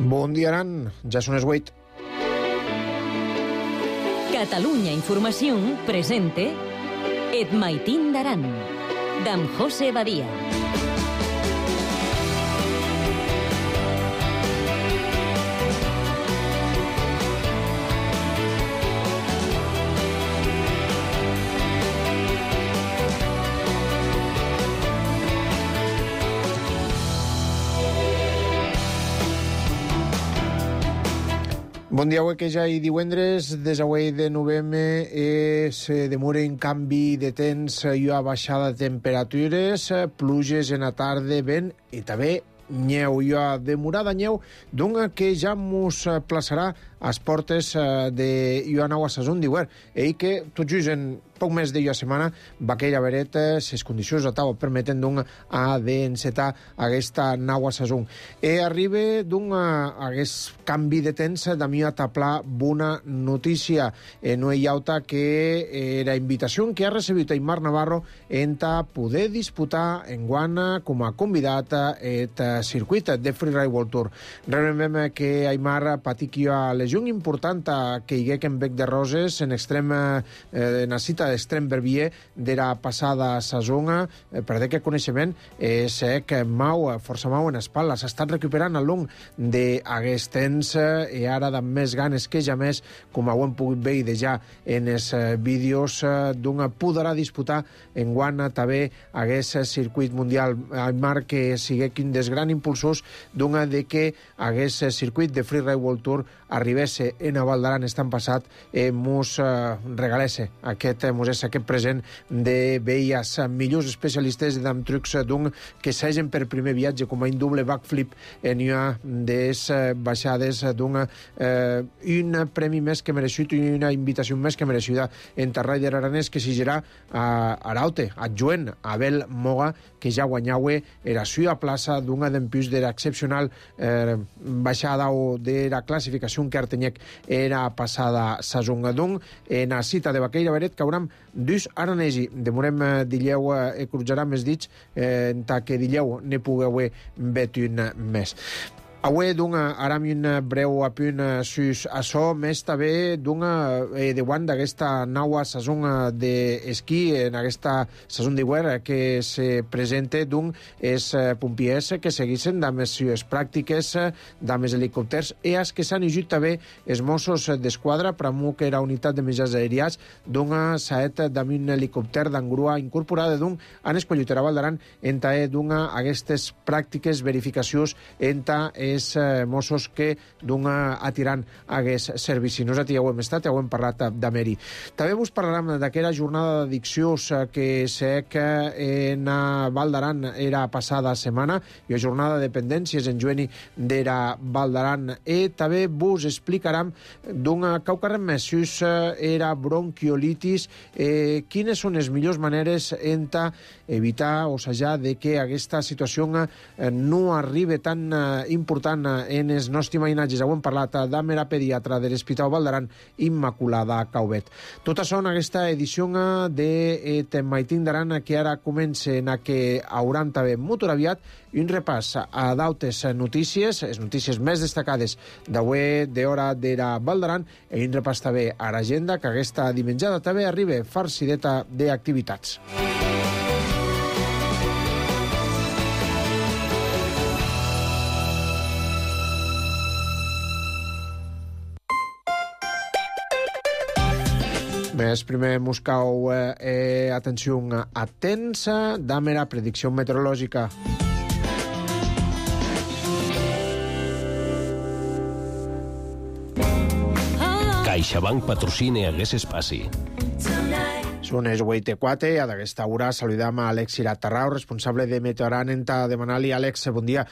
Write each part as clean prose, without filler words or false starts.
Bon dia, Aran. Ja són les 8. Catalunya Informació presente Et Maitín d'Aran, d'en José Badia. Bon dia, avui que ja hi divendres, des avui de novembre se demora un canvi de temps i una baixada de temperatures, pluges en la tarda, vent i també nyeu, i una demorada nyeu, d'una que ja mos plaçarà a les portes d'una nova saison d'hivern. I que tot just en poc més d'una setmana va aquella vereta, les condicions de taula permeten a d'encetar aquesta nova saison. Arriba aquest canvi de temps de mi a taplar bona notícia. No hi ha altra que la invitació que ha recebut Aimar Navarro en poder disputar enguana com a convidat el circuit de Freeride World Tour. Recordem que Aimar patia a lesió important que hi hagués en Bec de Roses en la cita d'Extrem Verbier de la passada saison. Per aquest coneixement és que força mau en espatla. S'ha estat recuperant al long d'aquest temps i ara de més ganes que ja més, com ho hem pogut veure ja en els vídeos, podrà disputar enguana també aquest circuit mundial. Aimar que siguin dels grans impulsors de que aquest circuit de Freeride World Tour arribés en a Val d'Aran estan passat, mos regalés aquest present de veure els millors especialistes d'am trucs que s'hagin per primer viatge com a un doble backflip en una de les baixades un premi més que mereixut i una invitació més que mereixida en Rider aranès que s'hi a Araute, adjuent a Abel Moga, que ja guanyava la seva plaça d'una d'empús de l'excepcional baixada o de la classificació que Artenyec era passada saison. En la cita de Baqueira Beret cauram dus aranesi. Demorem d'illeu crujarà més dits que d'illeu ne pugueu veure un més. Avui, aram un breu apunt sus açò, més també davant d'aquesta nova saison d'esquí, en aquesta saison d'hivern que se presenta els pompiers que seguissin amb les seves pràctiques, amb els helicòpters, i els que s'han ajut també els Mossos d'Esquadra, pramo que era unitat de mitjans aèries, s'ha amb un helicòpter d'engrua incorporada, han escollit a Val d'Aran aquestes pràctiques, verificacions entre els Mossos que atirant aquest servici. Nosaltres ja ho hem estat, ja ho hem parlat d'Ameri. També vos parlarem d'aquella jornada d'addiccions que sé que en Val d'Aran era passada setmana, i la jornada de dependències en jueni d'era Val d'Aran. I també vos explicarem caucarem més sus era bronquiolitis, quines són les millors maneres evitar o assajar de que aquesta situació no arribi tan important en els nostres imaginatges. Ho hem parlat d'Amer, pediatra de l'Hospital Val d'Aran, Immaculada Caubet. Tot això en aquesta edició de Maitín d'Aran, que ara comença, en que hauran també molt aviat un repàs a d'altres notícies, les notícies més destacades d'avui d'hora de la Val d'Aran, i un repàs també a l'agenda, que aquesta dimenjada també arriba farcideta d'activitats. Més primer buscau atenció atensa d'Amer, predicció meteorològica. CaixaBank patrocina aquest espai. Són les 8:04 i d'aquesta hora saludam a Àlex Iratarrau, responsable de Meteoran, en demanar-li, Àlex, bon dia.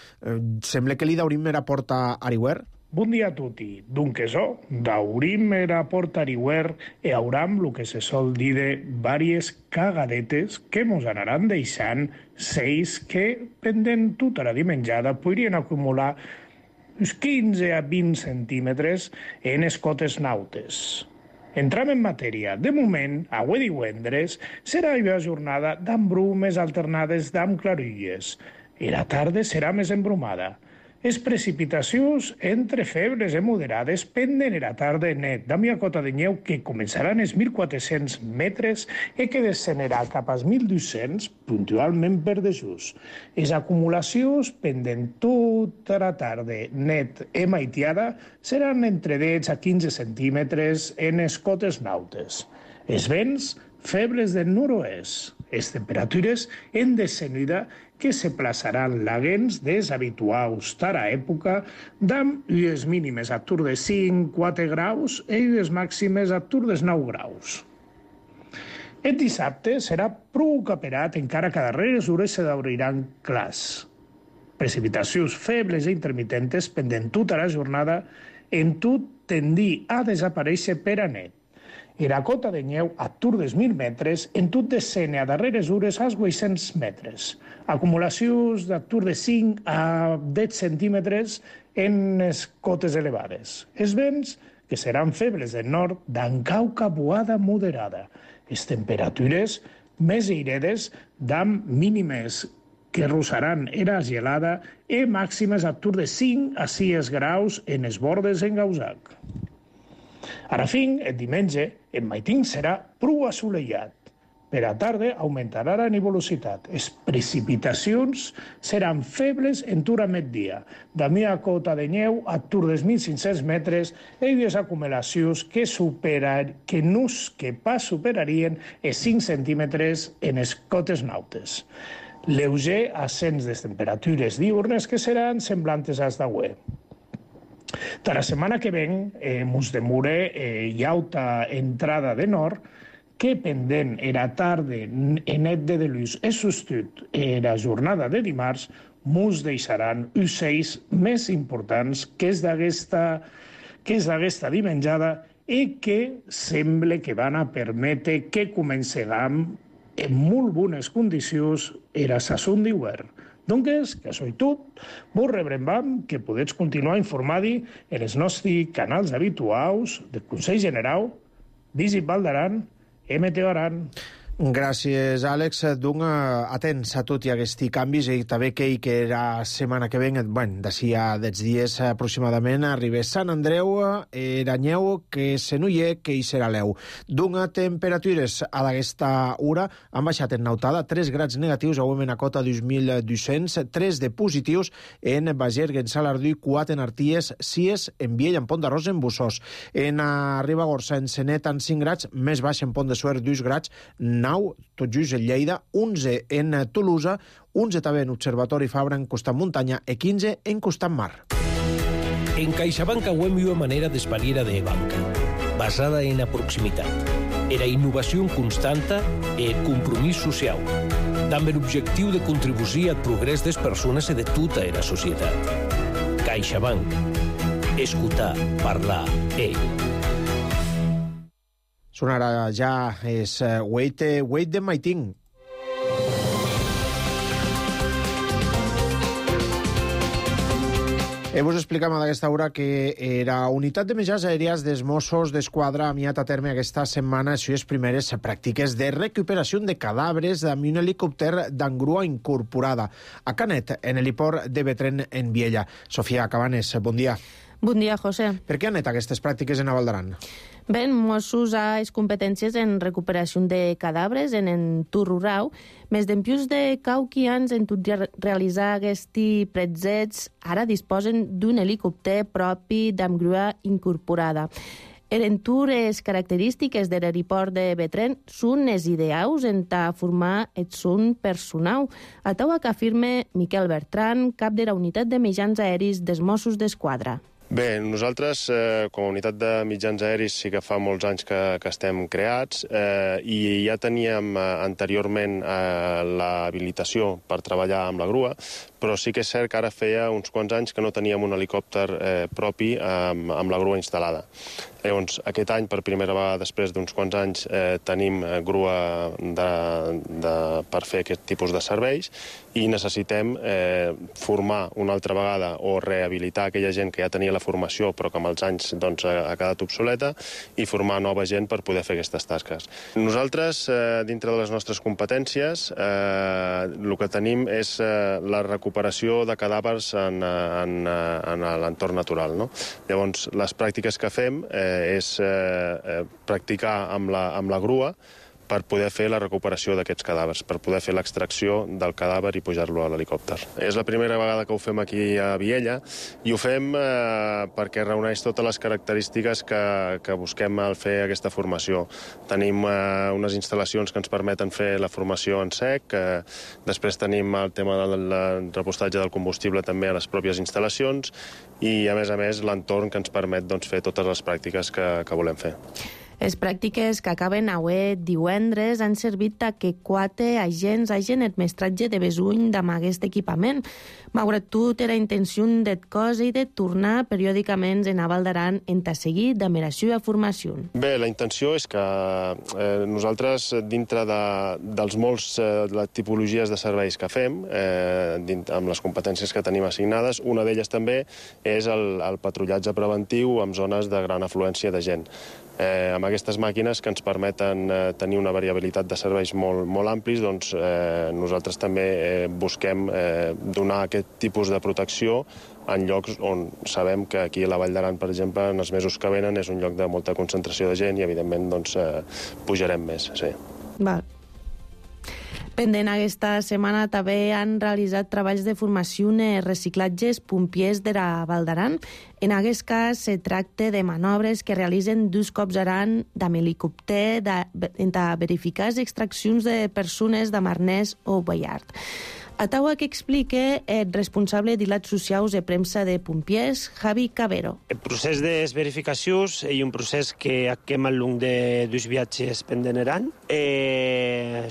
Sembla que li daurim a porta Ariwer? Bon dia a tutti. Dunque daurim era porta Ariwer e auram lo que se sol dir de vàries cagadetes que mos anaran deixant seis que, pendent tota la dimenjada, podrien acumular uns 15 a 20 centímetres en les cotes nautes. Entram en matèria. De moment, avui divendres, serà una jornada d'embrumes alternades d'amb clarilles. I la tarda serà més embrumada. Les precipitacions entre febles i moderades penden era tarda net d'amia cota de neu que començaran els 1.400 metres i que descenderà cap als 1.200 puntualment per dejús. Les acumulacions penden tota la tarda net i maitiada seran entre 10 a 15 centímetres en les cotes nautes. Els vents febles del nord-oest. Les temperatures en descenida que se plaçaran laguens des habituals tara època d'amb ues mínimes a tur de 5-4 graus i ues màximes a tur des 9 graus. El dissabte serà prou caperat encara que darreres hores se d'obriran clars. Precipitacions febles i intermitentes pendent tota la jornada en tot tendir a desaparèixer per a net. Era cota de neu a tur dels 1.000 metres, en tot descene a darreres hores als 800 metres. Acumulacions de tur de 5 a 10 centímetres en les cotes elevades. Els vents, que seran febles del nord, d'encau cabuada moderada. Les temperatures més airedes d'amb mínimes que rosaran era gelada i màximes a tur de 5 a 6 graus en els bordes engausat. Ara fin, el diumenge, el maitín serà prou assolellat. Per a tarda augmentarà la nuvolositat. Les precipitacions seran febles en tur a migdia. D'amia cota de neu a tur dels 1.500 metres i les acumulacions que pas superarien els 5 centímetres en les cotes nautes. Lleuger ascens de temperatures diurnes que seran semblantes als d'avui. De la setmana que ven, mos demure llauta entrada de nord, que pendent era tarda net de delús e sostut era jornada de dimarts, mos deixaran ocells més importants que és d'aquesta dimenjada i que sembla que van a permetre que comencem en molt bones condicions era sason d'hivern. Doncs, que això és tot, vos rebrem que podeu continuar informant en els nostres canals habituals del Consell General, Visip Val d'Aran i Meteo Aran. Gràcies, Àlex. Atents a tot i aquests canvis i també que la setmana que ve, d'ací a 10 dies aproximadament, arriba Sant Andreu, era neu que se no hi ha, que hi serà l'eu. Temperatures a d'aquesta hora han baixat en Nautada 3 grads negatius, avui en a cota 2.200, 3 de positius en Bagergue, en Salardú, 4 en Arties, 6 en Viella, en Pont d'Arròs, en Bussós. En Ribagorça, en Senet, en 5 grads, més baix en Pont de Suert, 2 grads, 9, tot just en Lleida, 11 en Tolosa, 11 també en Observatori Fabra en Costat Muntanya i 15 en Costat Mar. En CaixaBank auem una manera d'espaliera de banca, basada en la proximitat, era innovació constanta i el compromís social, amb l'objectiu de contribuir al progrés de les persones i de tota la societat. CaixaBank. Escoltar, parlar, Sonarà ja és Wait de Maitín. Vos explicam a d'aquesta hora que la unitat de mitjans aèries dels Mossos d'Esquadra ha miat a terme aquesta setmana les seves primeres pràctiques de recuperació de cadàvers amb un helicòpter d'engrua incorporada a Canet, en l'heliport de Betren, en Viella. Sofia Cabanes, bon dia. Bon dia, José. Per què han anat aquestes pràctiques en Val d'Aran? Bé, Mossos ha les competències en recuperació de cadàvers en entorn rural, més d'empius de cauquians en tot realitzar aquests pretzets, ara disposen d'un helicòpter propi amb grua incorporada. L'entorn i les característiques de l'aeroport de Betren són les ideals en formar el son personal, a taua que afirma Miquel Bertran, cap de la unitat de mitjans aèris dels Mossos d'Esquadra. Bé, nosaltres, com a unitat de mitjans aèris, sí que fa molts anys que estem creats i ja teníem anteriorment l'habilitació per treballar amb la grua, però sí que és cert que ara feia uns quants anys que no teníem un helicòpter propi amb la grua instal·lada. Llavors, aquest any, per primera vegada després d'uns quants anys, tenim grua per fer aquest tipus de serveis i necessitem formar una altra vegada o rehabilitar aquella gent que ja tenia la la formació, però que amb els anys ha quedat obsoleta, i formar nova gent per poder fer aquestes tasques. Nosaltres, dintre de les nostres competències, el que tenim és la recuperació de cadàvers en l'entorn natural. Llavors, les pràctiques que fem és practicar amb la grua per poder fer la recuperació d'aquests cadàvers, per poder fer l'extracció del cadàver i pujar-lo a l'helicòpter. És la primera vegada que ho fem aquí a Viella, i ho fem perquè reuneix totes les característiques que busquem al fer aquesta formació. Tenim unes instal·lacions que ens permeten fer la formació en sec, després tenim el tema del repostatge del combustible també a les pròpies instal·lacions, i a més l'entorn que ens permet fer totes les pràctiques que volem fer. Les pràctiques que acaben avui divendres han servit que 4 agents hagin el mestratge de besuny amb aquest equipament. Malgrat tot, era intenció d'et cosa i de tornar periòdicament en Val d'Aran en seguir amb la seva formació. Bé, la intenció és que nosaltres, dintre dels molts tipologies de serveis que fem, amb les competències que tenim assignades, una d'elles també és el patrullatge preventiu en zones de gran afluència de gent. Amb aquestes màquines que ens permeten tenir una variabilitat de serveis molt amplis, doncs nosaltres també busquem donar aquest tipus de protecció en llocs on sabem que aquí a la Vall d'Aran, per exemple, en els mesos que venen és un lloc de molta concentració de gent i, evidentment, pujarem més, sí. Val. Pendent aquesta setmana també han realitzat treballs de formació en reciclatges pompiers de la Val d'Aran. En aquest cas, se tracta de manobres que realitzen 2 cops aran amb helicòpter per verificar les extraccions de persones de Marnès o Ballard. A taua que explica el responsable d'Ilats Socials de premsa de pompiers, Javi Cabero. El procés de verificacions és un procés que acquem al llarg de 2 viatges pendent Aran.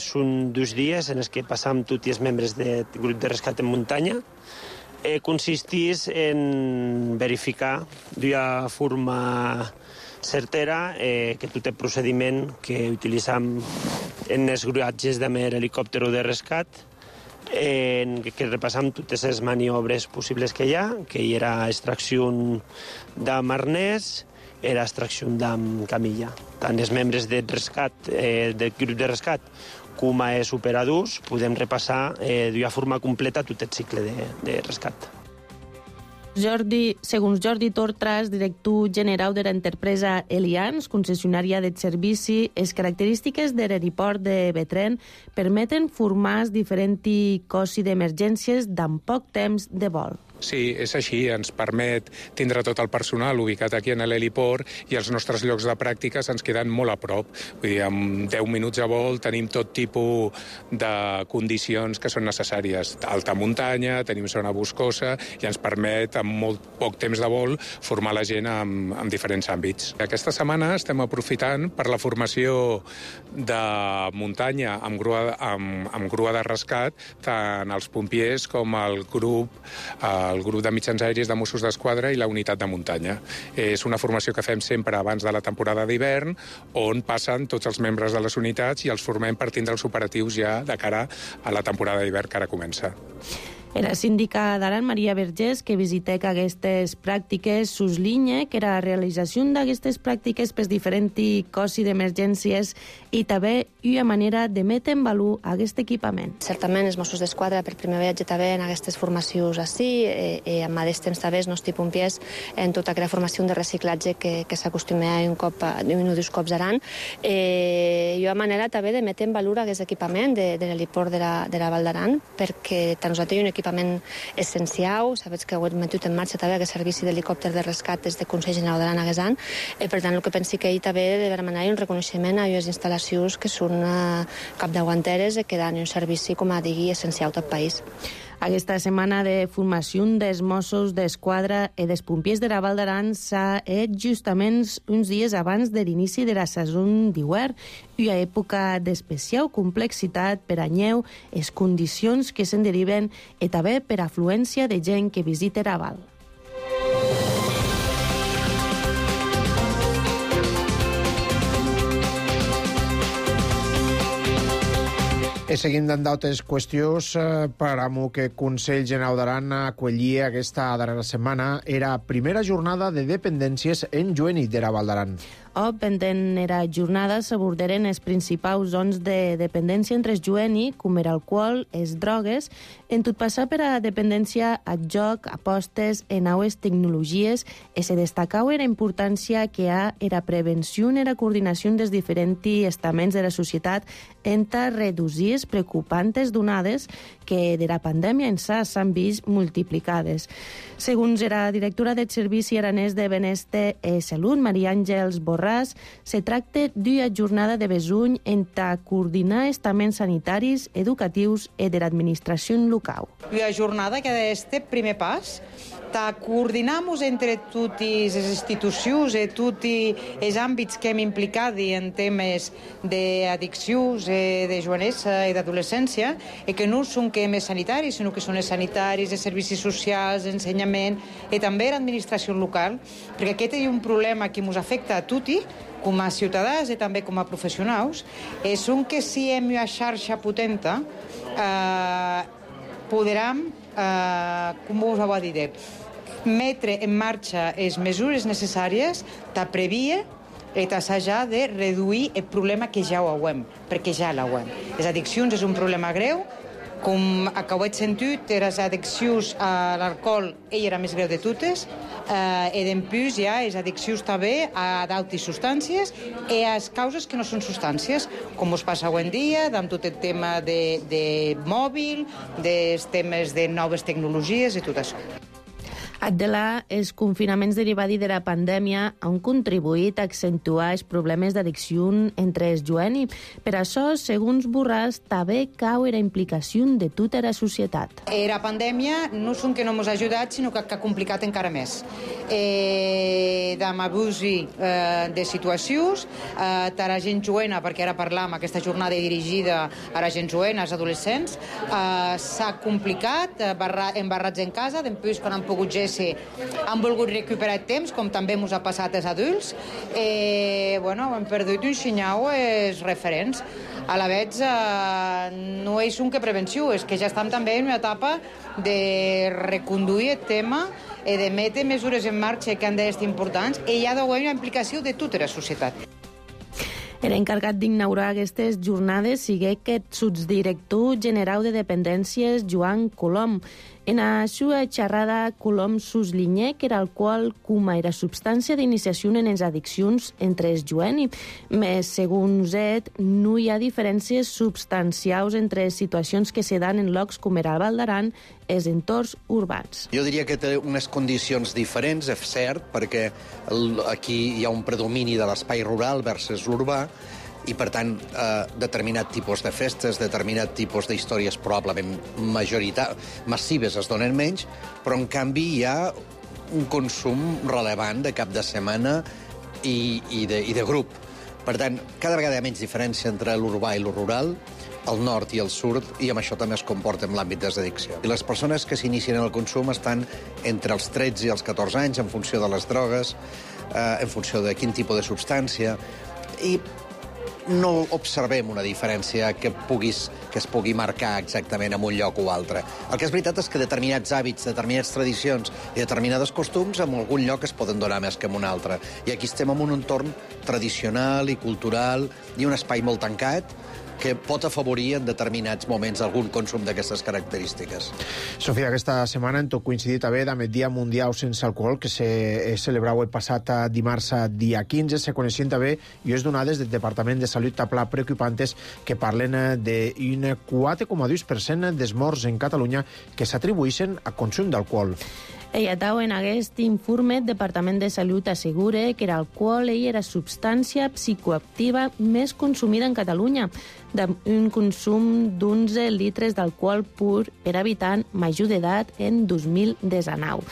Són 2 dies en els que passam tots els membres del grup de rescat en muntanya. Consisteix en verificar d'una forma certera que tot el procediment que utilitzam en els gruatges de helicòpter o de rescat, que repassam totes les maniobres possibles que hi ha, que hi era extracció d'am arnès, era extracció d'am camilla. Tant els membres del grup de rescat com els operadors podem repassar d'una forma completa tot el cicle de rescat. Segons Jordi Tortras, director general de l'empresa Elians, concessionària del servici, les característiques de l'aeroport de Betren permeten formar diferents cossi d'emergències amb poc temps de vol. Sí, és així. Ens permet tindre tot el personal ubicat aquí en l'heliport i els nostres llocs de pràctica ens queden molt a prop. Vull dir, amb 10 minuts de vol tenim tot tipus de condicions que són necessàries. Alta muntanya, tenim zona boscosa i ens permet, amb molt poc temps de vol, formar la gent en diferents àmbits. Aquesta setmana estem aprofitant per la formació de muntanya amb grua de rescat, tant els pompiers com el grup de mitjans aèris de Mossos d'Esquadra i la unitat de muntanya. És una formació que fem sempre abans de la temporada d'hivern, on passen tots els membres de les unitats i els formem per tindre els operatius ja de cara a la temporada d'hivern que ara comença. La síndica d'Aran, Maria Vergés, que visitec aquestes pràctiques, suslinya que la realització d'aquestes pràctiques per diferents cossi d'emergències i també una manera de metre en valor aquest equipament. Certament, els Mossos d'Esquadra per primer viatge també en aquestes formacions així, i amb aquest temps també els nostres pompiers en tota aquella formació de reciclatge que s'acostuma un o 2 cops Aran, i una manera també de metre en valor aquest equipament de l'heliport de la Val d'Aran, perquè tant nosaltres un equipament essencial, saps que ho hem metut en marxa també aquest servici d'helicòpter de rescat des del Consell General d'Aran a Guesan, per tant el que pensi que ell també de demanar un reconeixement a les instal·lacions que són capdavanteres i que donen un servici, com a digui, essencial a tot país. Aquesta setmana de formació dels Mossos d'Esquadra i dels pompiers de la Val d'Aran s'ha fet justament uns dies abans de l'inici de la saison d'hivern, una època d'especial complexitat per a nyeu, les condicions que se'n deriven i també per afluència de gent que visita la Val. Seguim d'altres qüestions, paramo que Consell Generau d'Aran acollia aquesta darrera setmana era primera jornada de dependències en Jueni d'era Val d'Aran. Pendent era jornada s'abordaren els principals zones de dependència entre els Jueni, com era alcohol, les drogues, en tot passar per a dependència a joc, apostes, en aues tecnologies, i se destacau era importància que ha era prevenció i era coordinació dels diferents estaments de la societat entre reduir les preocupantes donades que de la pandèmia en s'han vist multiplicades. Segons la directora del Servici Aranès de Benestar i Salut, Maria Àngels Borràs, se tracta d'una jornada de besuny entre coordinar estaments sanitaris, educatius i de l'administració local. Una jornada que d'este primer pas coordinamos entre totes les institucions i tots els àmbits que hem implicat en temes d'addiccions, de jovenesa i d'adolescència, i que no són que més sanitaris, sinó que són els sanitaris, els servicis socials, ensenyament, i també l'administració local, perquè aquest és un problema que ens afecta a tots, com a ciutadans i també com a professionals, és que si hem una xarxa potent, podrem, com us ho dir, mettre en marxa les mesures necessàries de prevenir i d'assajar de reduir el problema que ja ho hem, perquè ja l'hem. Les addiccions és un problema greu, com acabeu de sentir, les addiccions a l'alcohol era més greu de totes, i d'empús hi ha les addiccions també a d'altres substàncies i a les causes que no són substàncies, com us passa avui en dia, amb tot el tema de mòbil, dels temes de noves tecnologies i tot això. Adela, els confinaments derivats de la pandèmia han contribuït a accentuar els problemes d'addicció entre els Jueni. Per això, segons Borràs, també cau la implicació de tota la societat. La pandèmia no és que no ens ha ajudat, sinó que ha complicat encara més. Amb abús de situacions, de la gent joena, perquè ara parlam, aquesta jornada dirigida a la gent joena, als adolescents, s'ha complicat, embarrats en casa, després quan han pogut han volgut recuperar el temps, com també ens ha passat als adults, hem perdut un xinyau els referents. A la vegada, no és que prevenció, és que ja estem també en una etapa de reconduir el tema i de metre mesures en marxa que han d'estar importants i hi ha d'haver una implicació de tota la societat. L'encarregat d'inaugurar aquestes jornades sigui aquest subdirector general de dependències, Joan Colom. En la seva xerrada, Colom suslinyà que era alcohol com a substància d'iniciació en les addiccions entre els Jueni. Més, segons ell, no hi ha diferències substancials entre situacions que se dan en llocs com era el Val d'Aran i els entorns urbans. Jo diria que té unes condicions diferents, és cert, perquè aquí hi ha un predomini de l'espai rural versus l'urbà, i, per tant, determinat tipus de festes, determinat tipus d'històries probablement massives es donen menys, però, en canvi, hi ha un consum relevant de cap de setmana i de grup. Per tant, cada vegada hi ha menys diferència entre l'urbà i el rural, el nord i el sud, i amb això també es comporta en l'àmbit de l'addicció. I les persones que s'inicien en el consum estan entre els 13 i els 14 anys, en funció de les drogues, en funció de quin tipus de substància, i no observem una diferència que es pugui marcar exactament en un lloc o altre. El que és veritat és que determinats hàbits, determinades tradicions i determinades costums en algun lloc es poden donar més que en un altre. I aquí estem en un entorn tradicional i cultural i un espai molt tancat que pot afavorir en determinats moments algun consum d'aquestes característiques. Sofia, aquesta setmana en tot coincidit també amb el Dia Mundial Sense Alcohol, que se celebrava el passat dimarts dia 15. Se coneixien també i és donades del Departament de Salut a Pla preocupantes que parlen d'un 4,2% dels morts en Catalunya que s'atribueixen a consum d'alcohol. En aquest informe, el Departament de Salut assegura que l'alcohol és la substància psicoactiva més consumida en Catalunya, d'un consum d'11 litres d'alcohol pur per habitant major d'edat en 2019.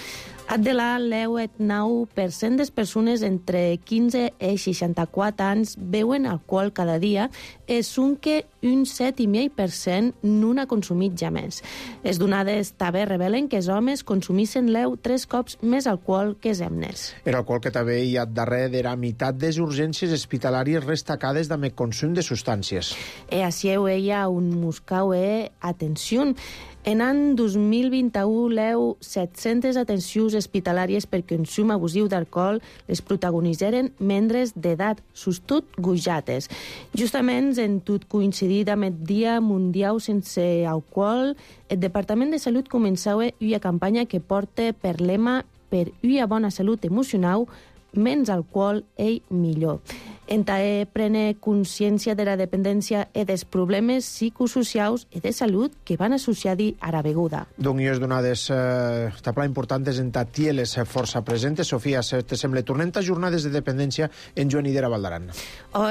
de la 10,9% des persones entre 15 i 64 anys beuen alcohol cada dia, és que un 7,5% no n'ha consumit ja més. Les donades també revelen que els homes consumissin 3 cops més alcohol que els hemnes. El alcohol que també hi ha darrere de la meitat de les urgències hospitalàries restacades amb el consum de substàncies. Així hi ha un muscau atenció. En l'any 2021, 700 atencions hospitalàries per consum abusiu d'alcohol les protagonitzaren membres d'edat, sustot gujates. Justament, en tot coincidit amb el Dia Mundial sense alcohol, el Departament de Salut començava una campanya que porta per lema per una bona salut emocional, menys alcohol i millor. Encara prene consciència de la dependència i dels problemes psicosocials i de salut que van associar-hi a la beguda. Doncs i és donades tapla importants en tatieles força presentes. Sofia, te sembla, tornem a jornades de dependència en Joan Idera Valdaran.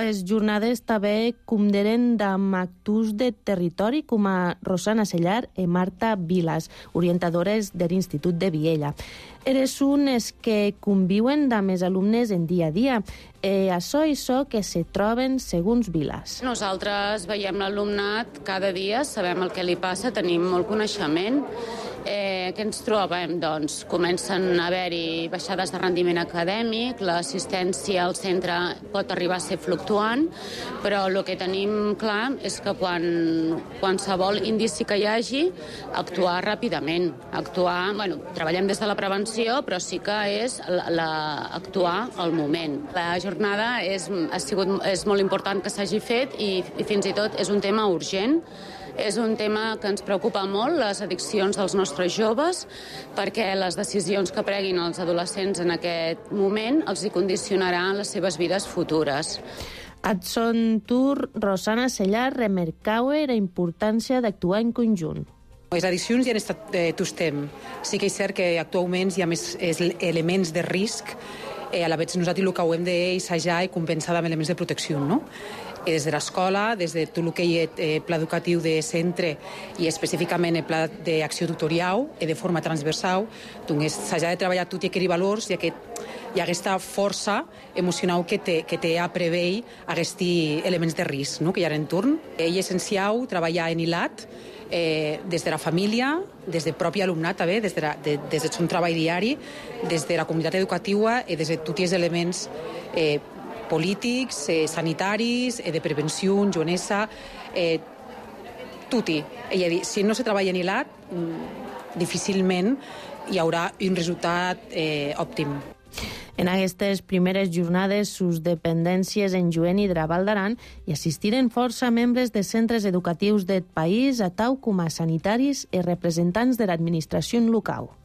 Les jornades també conderen amb actors de territori com a Rosana Sellar i Marta Vilas, orientadores de l'Institut de Viella. Eres unes que conviuen amb els alumnes en dia a dia. Això i això que se troben segons Vilas. Nosaltres veiem l'alumnat cada dia, sabem el que li passa, tenim molt coneixement. Què ens trobem? Doncs comencen a haver-hi baixades de rendiment acadèmic, l'assistència al centre pot arribar a ser fluctuant, però el que tenim clar és que quan qualsevol indici que hi hagi, actuar ràpidament. Treballem des de la prevenció, però sí que és actuar al moment. La jornada és molt important que s'hagi fet i fins i tot és un tema urgent. És un tema que ens preocupa molt, les addiccions dels nostres joves, perquè les decisions que preguin els adolescents en aquest moment els hi condicionaran les seves vides futures. A son tour, Rosana Sellar remarcava la importància d'actuar en conjunt. Les addiccions ja han estat tot temps. Sí que és cert que actualment hi ha més elements de risc, a la vegada nosaltres el que hem d'assajar i compensar amb elements de protecció, no? Des de l'escola, des de tot el que hi ha pla educatiu de centre i específicament el pla d'acció tutorial i de forma transversal, doncs s'ha de treballar tot i aquells valors i aquesta força emocional que té a preveure aquests elements de risc, no?, que hi ha en entorn. És essencial treballar en hilat des de la família, des del propi alumnat també, des del seu treball diari, des de la comunitat educativa i des de tots els elements polítics, sanitaris, de prevenció, joanesa, tutti. És a dir, si no se treballa en hilat, difícilment hi haurà un resultat òptim. En aquestes primeres jornades, sus dependències en Joan Idera Valdaran hi assistiren força membres de centres educatius del país, a tau com a sanitaris i representants de l'administració local.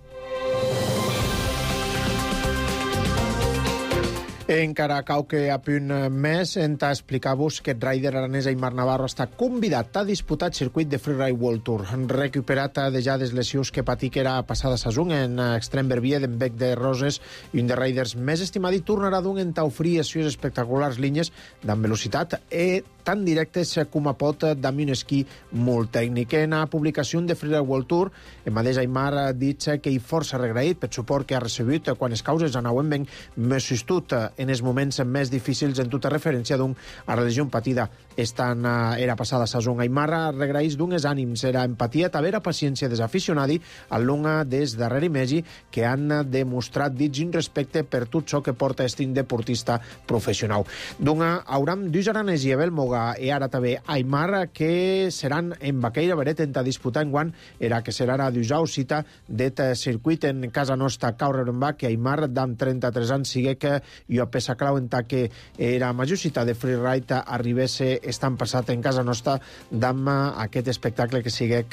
Encara cau que a punt més hem d'explicar-vos que el rider aranès Aimar Navarro està convidat a disputar el circuit de Freeride World Tour. Recuperat de ja des lesions que patí que era passada saison en extrem verbier d'en Bec de Roses i un de riders més estimat i tornarà d'un en t'oferir accions espectaculars línies d'amb velocitat i tan directes com a pot d'amb un esquí molt tècnic. En la publicació de Freeride World Tour, el mateix Aimar ha dit que hi força regraït pel suport que ha recebut quan les causes anaven ben més sostut en els moments més difícils en tota referència a la lesió patida era passada saison. Aimar regraïs d'uns ànims, era empatia, també era paciència dels aficionats al long des darrere mesi que han demostrat dits un respecte per tot això que porta estin deportista professional. Hauram dos aranès i Abel Moga i ara també Aimar que seran en Baqueira Beret en disputar en guant era que serà la d'usau cita d'et circuit en casa nostra Caureromba que Aimar d'am 33 anys sigue que jo peça clau en que era major cita de freeride arribés estan passat en casa nostra d'am aquest espectacle que sigue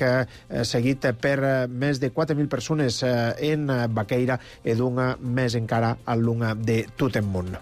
seguit per més de 4.000 persones en Baqueira i d'un més encara al long de tot el món.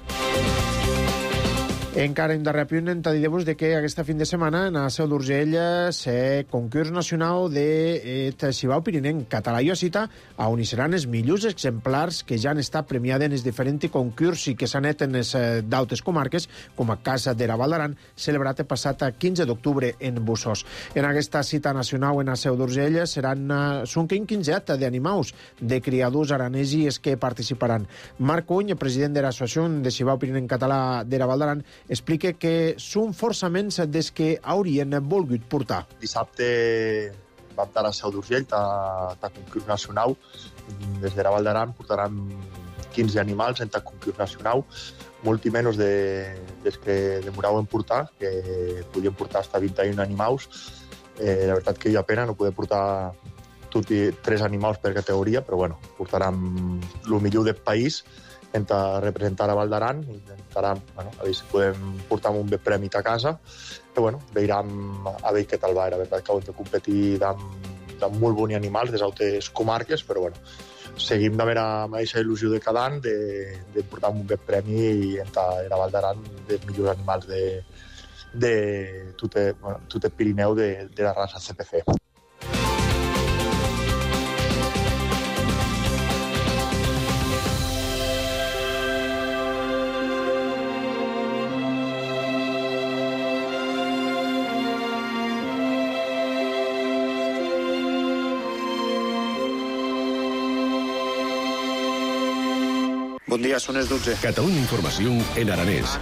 Encara hem de reapunt en dir-vos que aquesta fin de setmana en la Seu d'Urgell se concurs nacional de Xibau Pirinenc català i Occità, on hi seran els millors exemplars que ja han estat premiats en els diferents concursos i que s'han fet en les d'altres comarques, com a Casa de la Val d'Aran, celebrat el passat 15 d'octubre en Bussós. En aquesta cita nacional en la Seu d'Urgell són 15 d'animals de criadors aranesis que participaran. Marc Cuny, president de l'Associació de Xibau Pirinenc català de la Val d'Aran, explica que són força menys des que haurien volgut portar. Dissabte vam estar a Seu d'Urgell, a concurs nacional. Des de la Val d'Aran portaran 15 animals en concurs nacional, molt i menys des que demoraven portar, que podien portar fins a 21 animals. La veritat que hi ha pena no poder portar tots 3 animals per categoria, però bueno, portaran el millor del país a representar a Val d'Aran, intentarem a veure si podem portar un bé premi a casa, però bueno, veurem a veure què tal va. La veritat que hem de competir amb molt bons animals des d'altres comarques, però bueno, seguim d'haver amb aquesta il·lusió de cada any de portar un bé premi i entrar a Val d'Aran dels millors animals de tot el Pirineu de la raça CPC. Bon dia, són les 12. Catalunya Informació en aranès.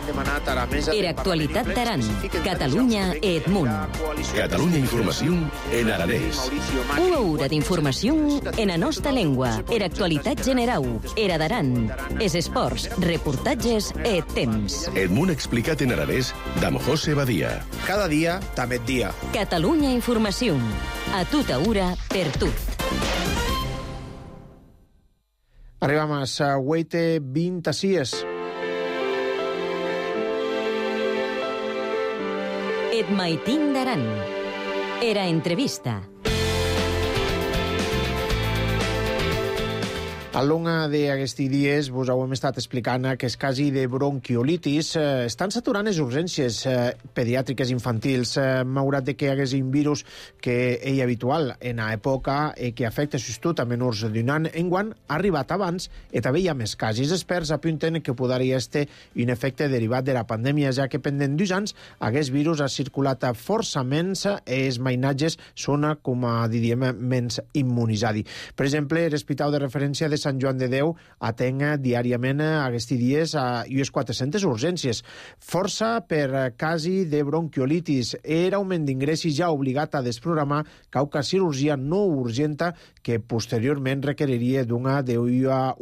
Era actualitat d'Aran. Catalunya et munt. Catalunya Informació en aranès. Una hora d'informació en la nostra llengua. Era actualitat general. Era d'Aran. Es esports, reportatges et temps. Et munt explicat en aranès d'Am José Badia. Cada dia, també et dia. Catalunya Informació. A tota hora, per tot. Arribam a la 8:26. Et maitin d'Aran. Era entrevista. Al long d'aquests dies vos ho hem estat explicant que els casos de bronquiolitis estan saturant les urgències pediàtriques infantils, malgrat que hi hagués un virus que és habitual en l'època i que afecta sobretot a menors d'un any. Enguany ha arribat abans i també hi ha més casos. Els experts apunten que podria ser un efecte derivat de la pandèmia, ja que pendent d'2 anys aquest virus ha circulat força menys i els mainatges són, com diríem, menys immunitzats. Per exemple, l'Hospital de Referència de Sant Joan de Déu atén diàriament aquests dies a unes 400 urgències. Força per casos de bronquiolitis. Era augment d'ingressos ja obligat a desprogramar cauca cirurgia no urgenta que posteriorment requeriria d'una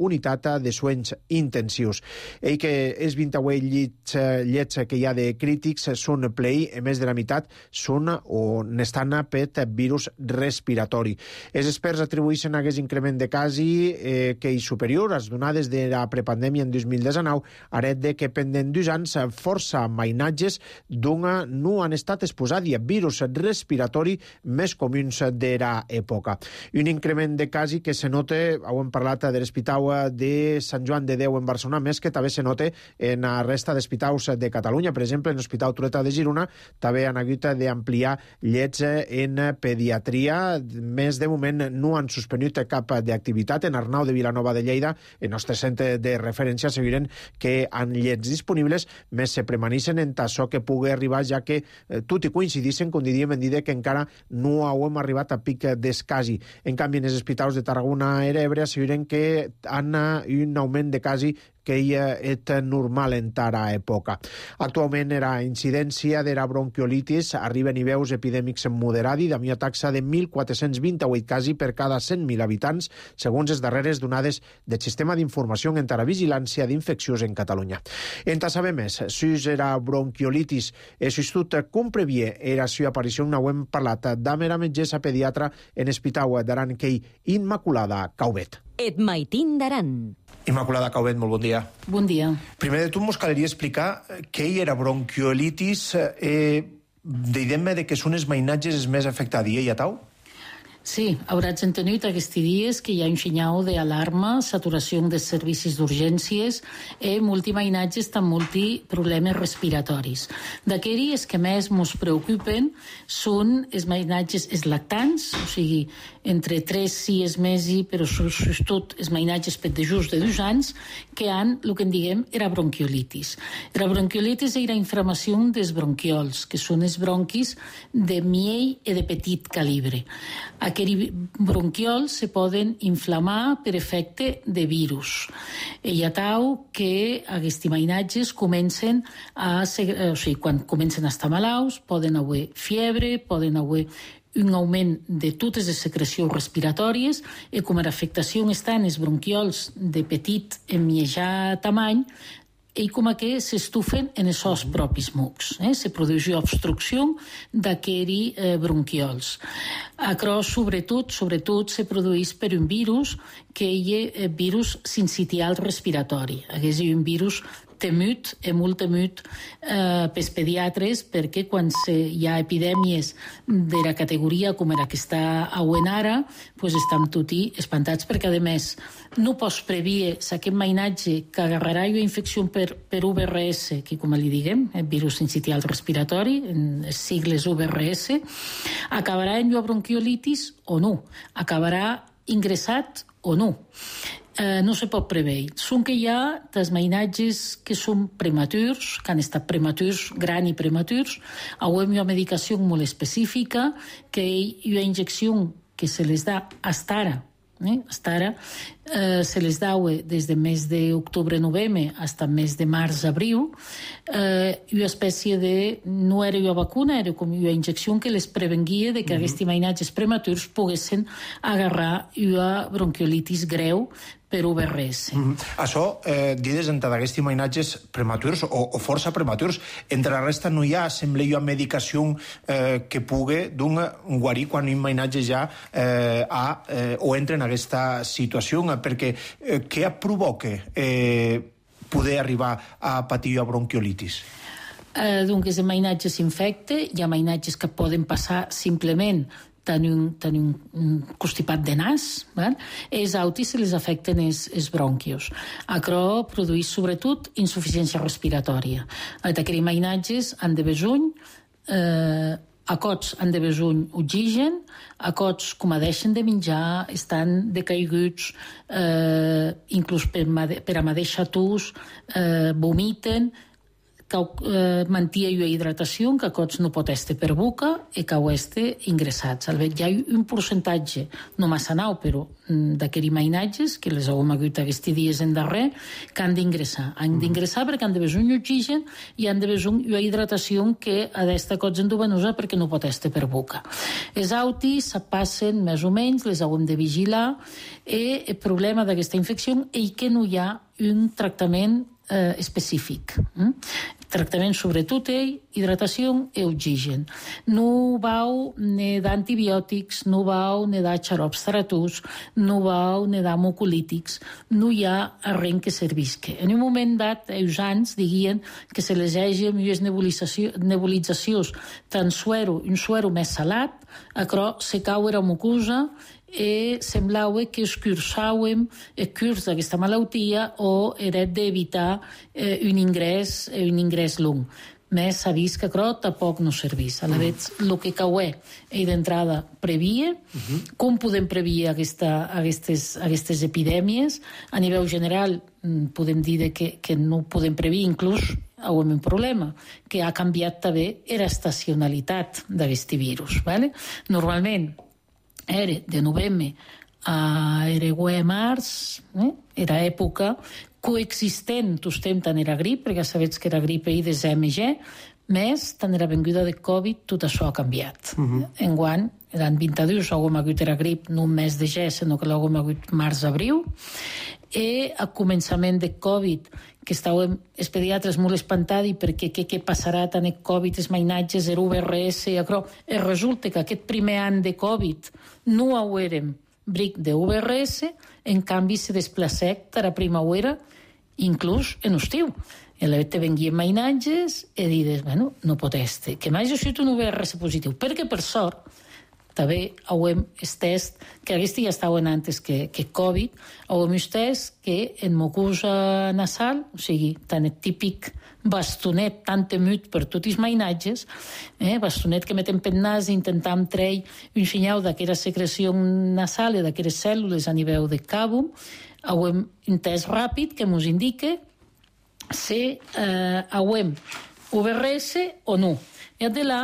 unitat de soins intensius. I que els 28 llits que hi ha de crítics són plei, a més de la meitat són o n'estan per virus respiratori. Els experts atribueixen aquest increment de casos que és superior als donades de la prepandèmia en 2019, aret de que pendent d'2 anys força mainatges d'una no han estat exposats a virus respiratori més comuns de l'època. Un increment de casos que se nota, ho hem parlat de l'Hospital de Sant Joan de Déu en Barcelona, més que també se nota en la resta d'hospitals de Catalunya. Per exemple, en l'Hospital Trueta de Girona també han hagut d'ampliar llits en pediatria. Més de moment no han suspendut cap d'activitat. En Arnau de Vilanova de Lleida, el nostre centre de referència, asseguren que han llits disponibles, més se permaneixen en tasso que pugui arribar, ja que tot i coincideixen, com diríem, en dir que encara no hem arribat a pic d'escasi. En canvi, en els hospitals de Tarragona i Ebre asseguren que han un augment de casos que és normal en tara època. Actualment, la incidència de la bronquiolitis arriba a nivells epidèmics moderats, amb una taxa de 1.428 casos per cada 100.000 habitants, segons les darreres donades del Sistema d'Informació en la Vigilància d'Infeccions en Catalunya. En saber més, si la bronquiolitis és tot com previa era la seva aparició, ho hem parlat amb la metgessa pediatra en l'Hospital d'Aran, que Immaculada Caubet. Et maitin d'Aran. Immaculada Caubet, molt bon dia. Bon dia. Primer de tot, mos caldria explicar què era bronquiolitis. Diguem-me de què són els mainatges més afectats, ja tau? Sí, hauràs entenut aquests dies que hi ha un senyal d'alarma, saturació dels servicis d'urgències i molti mainatges amb molti problemes respiratoris. D'aquells que més ens preocupen són els mainatges lactants, o sigui, entre 3 i 6 mesos, però sobretot els mainatges per de just de 2 anys, que han, el que en diguem, era bronquiolitis. La bronquiolitis era inflamació dels bronquiols, que són els bronquis de miell i de petit calibre. Aquests bronquiols se poden inflamar per efecte de virus. Hi ha tau que aquests mainatges comencen a ser, o sigui, quan comencen a estar malalts, poden haver fiebre, poden haver un augment de totes les secrecions respiratòries i com a afectació estan els bronquiols de petit i mitjà tamany i com que s'estufen en els seus propis mucs. Se produeix obstrucció d'aquests bronquiols. Això, sobretot, se produeix per un virus que és virus sincitial respiratori. És un virus temut, molt temut pels pediatres, perquè quan hi ha epidèmies de la categoria com la que està auent ara, estan tots espantats, perquè a més no pots predir si aquest mainatge que agarrarà una infecció per UVRS, que com li diguem, virus sincitial respiratori, en les sigles UVRS, acabarà en una bronquiolitis o no, acabarà ingressat o no. No se pot preveure. Són que hi ha dels mainatges que són prematurs, que han estat prematurs, gran i prematurs, amb una medicació molt específica, que hi ha una injecció que se les da fins ara, se les dau des del mes d'octubre-novembre fins al mes de març-abril, una espècie de... no era una vacuna, era com una injecció que les prevenguia de que aquests mainatges prematurs poguessin agarrar una bronquiolitis greu per UVRS. Això, dides, entre aquests mainatges prematurs o força prematurs, entre la resta no hi ha, sembla, una medicació que pugui guarir quan un mainatge ja o entra en aquesta situació, perquè què provoca poder arribar a patir una bronquiolitis? Doncs el mainatge s'infecta, hi ha mainatges que poden passar simplement tenir un constipat de nas, els autis se les afecten els bronquios. Això produeix sobretot insuficiència respiratòria. Aquests mainatges han de besuny, acots han de besuny oxigen, acots com a deixen de menjar, estan decaiguts, inclús per a mateixa tus, vomiten, que mantia una hidratació, que acots no pot estar per boca i que ho estar ingressats. Hi ha un percentatge, no massa nau, però d'aquests mainatges, que les hem hagut aquests dies en darrer, que han d'ingressar. Han d'ingressar perquè han de besoin un oxigen i han de besoin una hidratació que ha d'estar acots endovenosa perquè no pot estar per boca. Els autis se passen més o menys, les hem de vigilar, i el problema d'aquesta infecció és que no hi ha un tractament específic. Tractament sobretot hidratació i oxigen. No vau ne d'antibiòtics, no vau ne de xarops taratus, no vau ne de mucolítics, no hi ha res que servisca. En un moment dat, els anys diguen que se les hagi millors nebulitzacions tant un suero més salat, però se cau era mucosa i semblava que escurçàvem el curs d'aquesta malaltia o era d'evitar un ingrés long. Més s'ha vist que això tampoc no serveix. A la vegada, el que caué és d'entrada previa, com podem prevenir aquestes epidèmies. A nivell general, podem dir que no podem prevenir, inclús un problema, que ha canviat també l'estacionalitat d'aquest virus. Normalment, era de novembre a març, era època coexistent, estem tant era grip, perquè sabeu que era grip i de ZMG, més tant era venguda de Covid, tot això ha canviat. Enguany, eren 22, l'hem hagut era grip no un mes de gener, sinó que l'hem hagut març-abril, i a començament de Covid, que estàvem els pediatres molt espantats perquè què passarà tant el Covid, els mainatges, el UVRS, i resulta que aquest primer any de Covid no haurem bric de UVRS, en canvi se desplacec per a primavera, inclús en estiu. I a la vegada venguien mainatges i dius, no pot estar, que mai jo sigut un UVRS positiu, perquè per sort, també hauem test que aquesta ja estaven antes que Covid, hauem test que en mucosa nasal, o sigui, tan el típic bastonet tan temut per tots els mainatges, bastonet que metem pel nas i intentam treure un senyal d'aquella secreció nasal i d'aquelles cèl·lules a nivell de càbum, hauem un test ràpid que ens indica si hauem UVRS o no. I de là,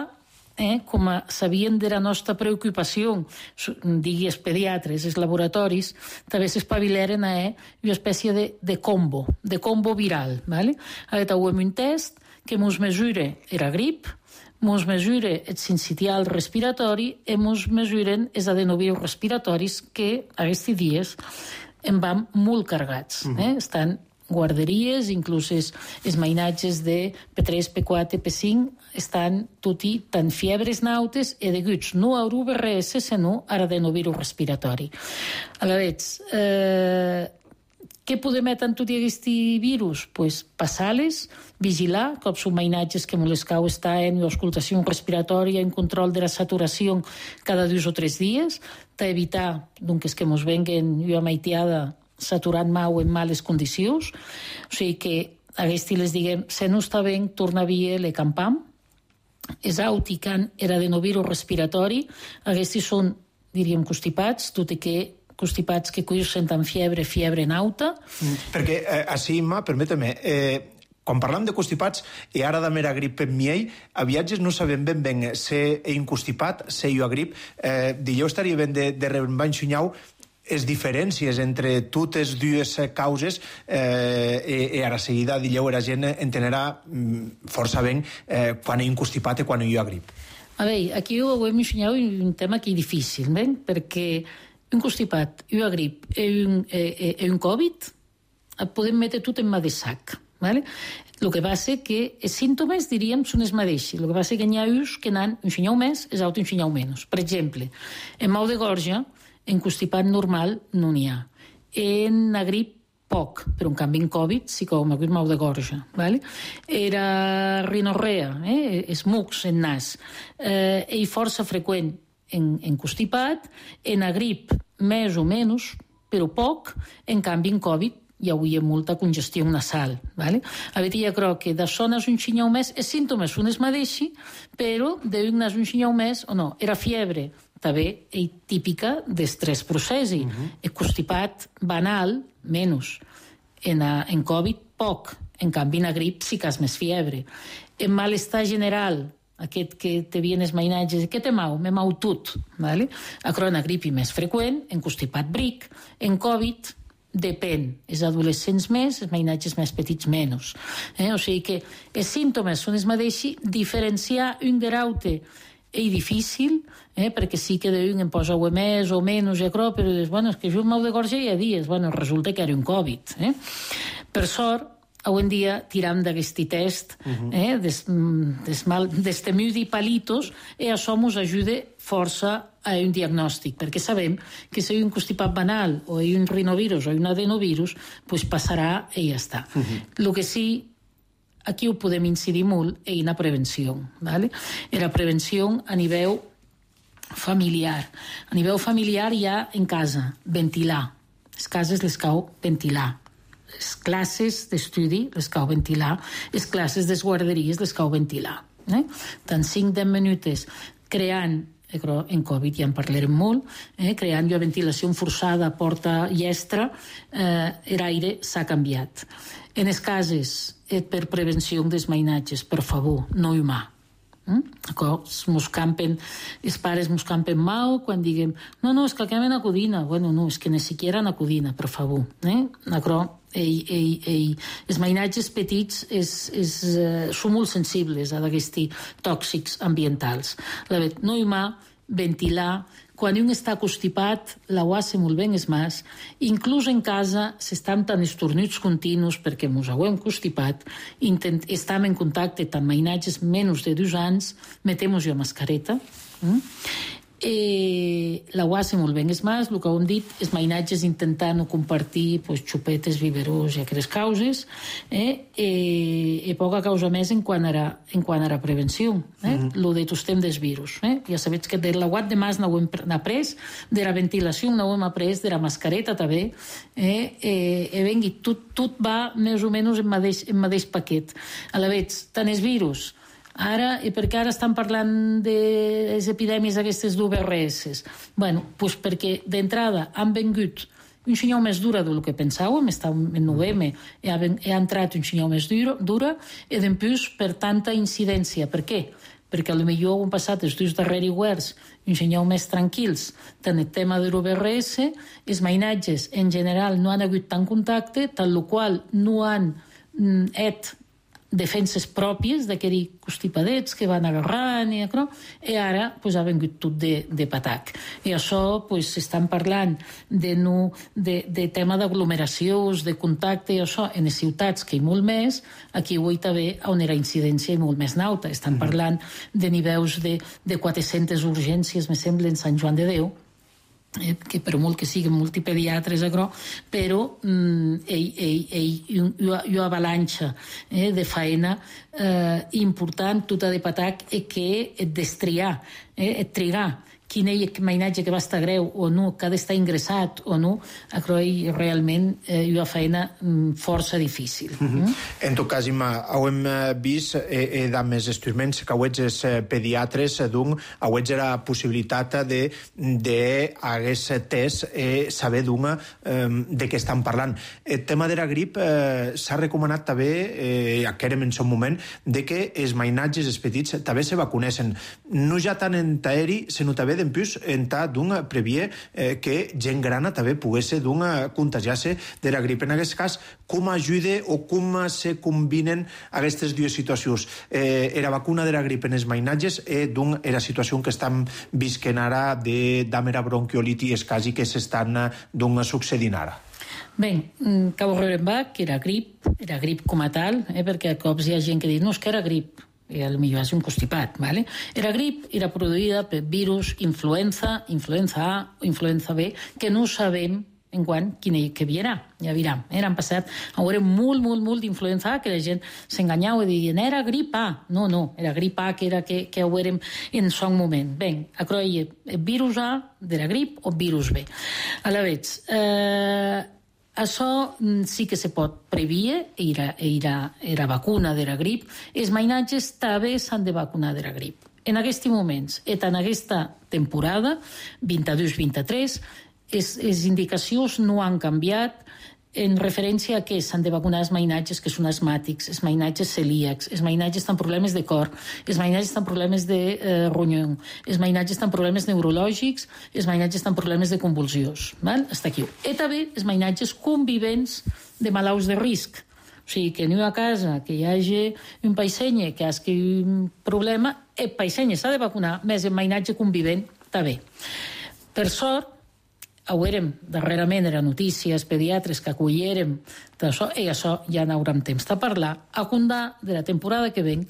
com sabien de la nostra preocupació, digui els pediatres, els laboratoris, també s'espavileren a una espècie de combo viral. Hauem un test que ens mesura la grip, ens mesura el sincitial respiratori i ens mesuren els adenovirus respiratoris que aquests dies en van molt carregats. Estan guarderies, inclús els mainatges de P3, P4, P5, estan tutti tant fiebres nautes e deguts no a UVRS, sinó a adenovirus respiratori. Aleshores, què podem metre en tot aquest virus? Pues passar-les, vigilar, com són mainatges que les cau estar en auscultació respiratòria, en control de la saturació cada 2 o 3 dies, d'evitar que ens venguen una maitiada saturant mau en males condicions. O sigui que aquests les diguem, si no està bé, torna a via le campam. És auticant adenovirus respiratori. Aquests són, diríem, constipats, tot i que constipats que senten fiebre nauta. Perquè, així, Imma, permete-me, quan parlam de constipats, i ara de mera grip en miei, a viatges no sabem ben si he constipat, si jo a grip. Jo estaria ben de rebanxunyau les diferències entre totes dues causes i a la seguida dilleu la gent entenerà força ben quan he constipat i quan he grip. A veure, aquí ho hem ensenyat un tema que és difícil, perquè un constipat, una grip i un Covid podem metre tot en mà de sac. El que passa que els símptomes, diríem, són els mateixos. El que passa que n'hi ha uns que n'han un senyal més, els altres un senyal menys. Per exemple, en mal de gorja, en constipat normal no n'hi ha. En la grip poc, però en canvi en Covid sí que ho hem hagut mal de gorja. Era rinorrea, els mucs en nas, i força freqüent en constipat, en la grip més o menys, però poc, en canvi en Covid hi hauria molta congestió nasal. A veure, jo crec que de zones un xinyau més, els símptomes són els mateixos, però d'un nas un xinyau més o no. Era fiebre, també és típica dels 3 processos. El constipat banal, menys. En Covid, poc. En canvi, en la grip sí que és més fiebre. En malestar general, aquest que te vien els mainatges, què te mau? Me mau tot. En la grip més freqüent, en constipat bric, en Covid depèn. Els adolescents més, els mainatges més petits menys. O sigui que els símptomes són els mateixos, diferenciar un de l'altre és difícil, perquè sí que d'un em posa més o menys, però és que jo un mal de gorja hi ha dies, resulta que era un Covid. Per sort, avui en dia tiram d'aquest test d'estemudi palitos i això ens ajuda força a un diagnòstic, perquè sabem que si hi ha un constipat banal o hi ha un rinovirus o hi ha un adenovirus, passarà i ja està. El que sí, aquí ho podem incidir molt en la prevenció. En la prevenció a nivell familiar. A nivell familiar hi ha en casa, ventilar. Les cases les cal ventilar. Les classes d'estudi les cal ventilar. Les classes de guarderies les cal ventilar. Tant 5-10 minuts creant, en Covid ja en parlarem molt, creant una ventilació forçada, porta llestra, l'aire s'ha canviat. En les cases, per prevenció dels mainatges, per favor, no humà. Els pares mos campen mal quan diguem no, és que el quemen a codina. No, és que ni siquiera a codina, per favor. Els mainatges petits són molt sensibles a aquests tòxics ambientals. No humà, ventilar. Quan un està constipat, la guassa molt ben és més. Inclús en casa, s'estan tan estornuts continus perquè ens hauem constipat, estem en contacte amb mainatges menys de 2 anys, metem-nos la mascareta. La UASE molt ben és més, el que hem dit, els mainatges intentar no compartir xupetes, biberós i aquestes causes, i poca causa més en quant a la prevenció, lo de tostem dels virus. Ja sabeu que de l'aguat de mas no ho hem après, de la ventilació no ho hem après, de la mascareta també, i vengui, tot va més o menys en mateix paquet. A la vegada, tant els virus. Ara, i per què ara estan parlant de les epidèmies aquestes d'UVRS? Bueno, doncs perquè d'entrada han vengut un senyal més dura del que pensàvem, estàvem en novembre, i ha entrat un senyal més dura, i després per tanta incidència. Per què? Perquè potser han passat els dos darrers hiverns un senyal més tranquils, tant el tema de l'UVRS, els mainatges en general no han hagut tant contacte, tal qual no han defenses pròpies d'aquells constipadets que van agarrant i ara ha vengut tot de patac. I això s'estan parlant de tema d'aglomeracions, de contacte i això en les ciutats que hi molt més, aquí avui també on la incidència molt més nauta. Estan parlant de nivells de 400 urgències, me sembla, en Sant Joan de Déu, que per molt que siguin multipediatres, però hi ha una avalanxa de feina important, tota de patac, que et destriar, et trigar quin mainatge que va estar greu o no, que ha d'estar ingressat o no, realment hi ha feina força difícil. En tot cas, Imma, hem vist amb els instruments que els pediatres heu la possibilitat d'hagués test saber de què estan parlant. El tema de la grip s'ha recomanat també, que érem en son moment, que els mainatges, els petits, també se vacunessin. No ja tant en aeri, sinó també d'empús en ta previer que gent grana també pogués contagiar-se de la grip. En aquest cas, com ajuda o com se combinen aquestes dues situacions? La vacuna de la grip en els mainatges i la situació que estem visquent ara d'amera bronquiolitis quasi que s'estan succeint ara. Bé, que que era grip com a tal, perquè a cops hi ha gent que diu no, és que era grip, i potser és un constipat, ¿vale? Era grip, era produïda per virus, influenza A, influenza B, que no sabem enguany quin que havia. Ja veurem. Han passat a veure molt d'influenza A, que la gent s'enganyava i deien era grip A. No, era grip A, que era que ho veurem en son moment. Bé, acroia virus A de la grip o virus B. A la vegada, això sí que se pot previer, era vacuna de la grip. Els mainatges també s'han de vacunar de la grip. En aquests moments, en aquesta temporada, 22-23, les indicacions no han canviat en referència a què s'han de vacunar els mainatges que són asmàtics, els mainatges celíacs, els mainatges amb problemes de cor, els mainatges amb problemes de ronyó, els mainatges amb problemes neurològics, els mainatges amb problemes de convulsions. Està aquí. I també els mainatges convivents de malalts de risc. O sigui, que no a casa que hi hagi un paissenye que hagi un problema, el paissenye s'ha de vacunar, més el mainatge convivent també. Per sort, veurem darrerament era notícies pediatres que acollérem d'això, i això ja n'haurem temps de parlar. A Condà, de la temporada que ven,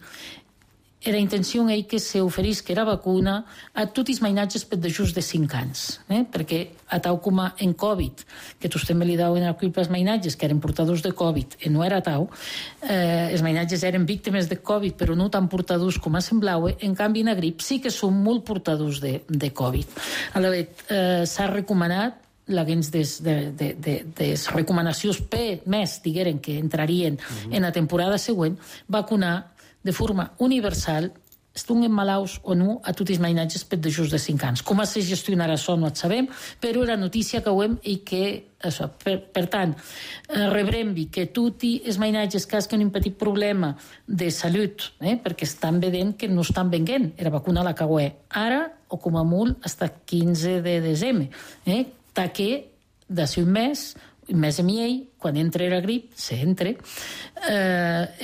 era intenció que s'oferís que era vacuna a tots els mainatges per de just de 5 anys, perquè a tau com en Covid, que tots també li dauen la culpa als mainatges que eren portadors de Covid, i no era tau, els mainatges eren víctimes de Covid, però no tan portadors com semblava, en canvi en la grip sí que són molt portadors de Covid. A la vegada, s'ha recomanat les recomanacions més, digueren, que entrarien en la temporada següent, vacunar de forma universal, estiguin malalts o no, a tots els mainatges per de just de 5 anys. Com se gestionarà això no et sabem, però la notícia que ho hem i que, això, per tant, rebrem que tots els mainatges que hagin un petit problema de salut, perquè estan veient que no estan venent, era vacuna la que ho és ara, o com a molt, fins al 15 de desembre, que d'ací un mes a miei, quan entre la grip, s'entre,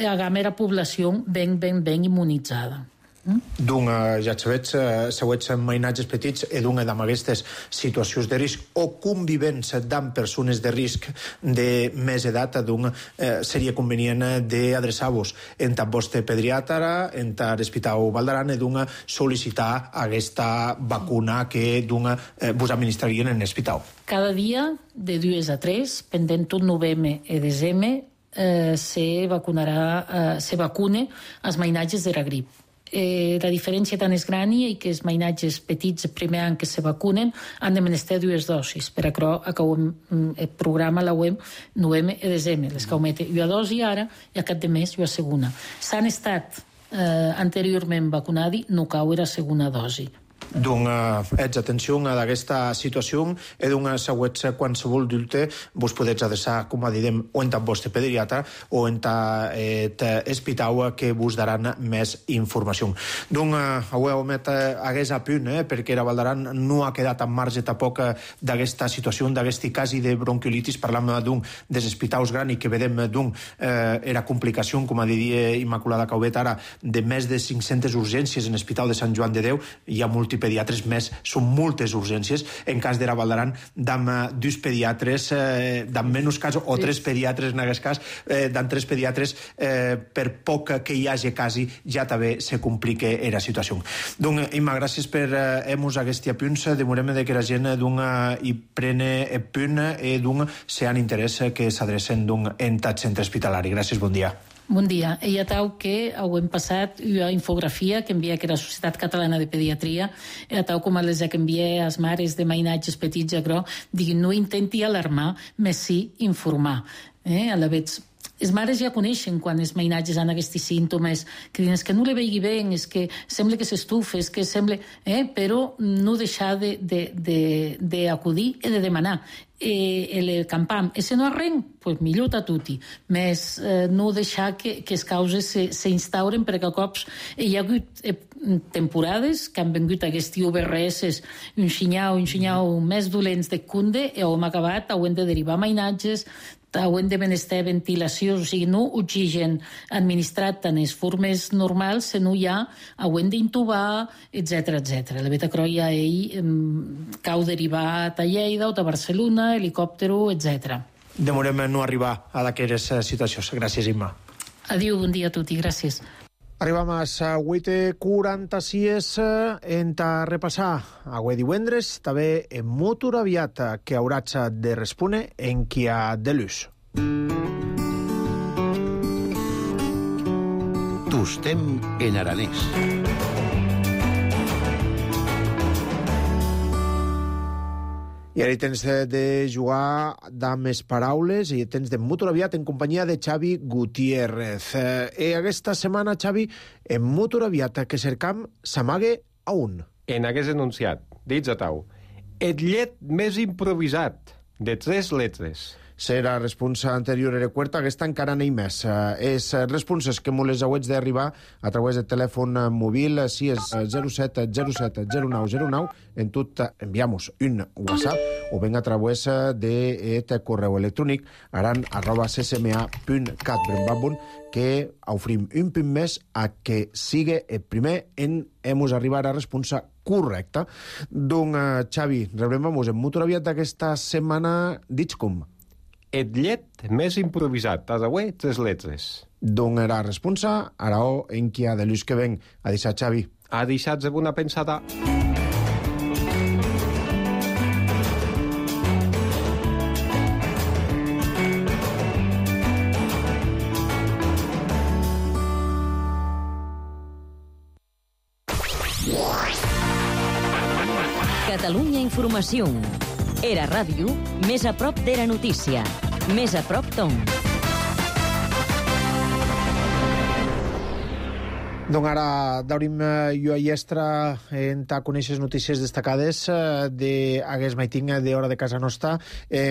hagam la població ben immunitzada. D'un, ja sabets mainatges petits e d'un amb aquestes situacions de risc o convivents amb persones de risc de més edat, d'un seria convenient d'adreçar-vos en vostre pediatra, en l'Hospital Vall d'Aran, i d'un sol·licitar aquesta vacuna que d'un vos administrarien en l'hospital. Cada dia, de 2 a 3, pendent tot novembre i desembre, se vacune els mainatges de la grip. La diferència tan és gran i que els mainatges petits el primer any que se vacunen han de menester 2 dosis. Per això acabem el programa la web novembre i desembre. Les que aumenten una dosi ara i a cap de mes una segona. S'han estat anteriorment vacunats, no cau la segona dosi. Ets atenció a aquesta situació i següents qualsevol dubte vos podeu adreçar, com direm, o en el vostre pediatra o en l'hospital que vos daran més informació. Avui hagués a punt, perquè la Vall d'Aran no ha quedat en marge tampoc d'aquesta situació, d'aquest cas de bronquiolitis. Parlam dels hospitals grans i que vedem era complicació, com diria Immaculada Calvet ara, de més de 500 urgències en l'Hospital de Sant Joan de Déu. Hi ha multipediatres més, són moltes urgències. En cas de la Vall d'Aran, d'am 2 pediatres, d'am menys cas, o 3 pediatres en aquest cas, d'am 3 pediatres, per poc que hi hagi quasi, ja també se complica la situació. Donc, Imma, gràcies per hemos aquest apunts. Demorem que la gent hi prene el punt i si han interès que s'adrecen en el centre hospitalari. Gràcies, bon dia. Bon dia. Ja tau que hem passat una infografia que envia que la Societat Catalana de Pediatria, tau com les que envia als mares de mainatges petits, diguin, no intenti alarmar, més sí informar. A la vegada, els mares ja coneixen quan els mainatges han aquests símptomes, que diuen que no li vegi bé, és que sembla que s'estufa, és que sembla... Però no deixar d'acudir i de demanar. El campam, se no arrenc, pues millor a tutti, més no deixar que les causes s'instauren, perquè a cops hi ha hagut temporades que han vingut aquests UBRS un xinyau més dolents de cunde i hem acabat, hem de derivar mainatges, hem de menester ventilació, o sigui, no oxigen administrat en les formes normals, sinó ja hem d'intubar, etc. La veritat que ja cau derivat a Lleida o a Barcelona, helicòptero, etc. Demorem no arribar a d'aquestes situacions. Gràcies, Imma. Adiu, bon dia a tots i gràcies. Arribam a les 8:46 en repassar avui divendres també en motor aviat que hauràs de respondre en qui ha de l'ús. Tostem en aranès. I ara hi tens de jugar amb les paraules i tens de motor aviat en companyia de Xavi Gutiérrez. I aquesta setmana, Xavi, en motor aviat que cercam s'amague a un. En aquest enunciat, dits a tau, el llet més improvisat de 3 lletres. Serà responsa anterior era quarta, aquesta encara n'hi més. És responses que me les hauets d'arribar a través del telèfon mòbil, si és 07 07 09 09, en tot enviamos un WhatsApp o ben a través de correu electrònic aran@ccma.cat brembabun, que ofrim un punt més a que siga el primer en hemos arribar a responsa correcta. Donc, Xavi, rebrem-nos en motor aviat d'aquesta setmana, dits com? El llet més improvisat, a avui 3 lletres. D'on era responsa, ara en qui ha de l'ús que ven. A deixar, Xavi. A deixar-se una pensada. Catalunya Informació. Era ràdio, més a prop d'era notícia. Més a prop d'on. Donc ara daurim jo a Iestra en ta conèixer notícies destacades d'aguest maiting d'hora de casa nostra.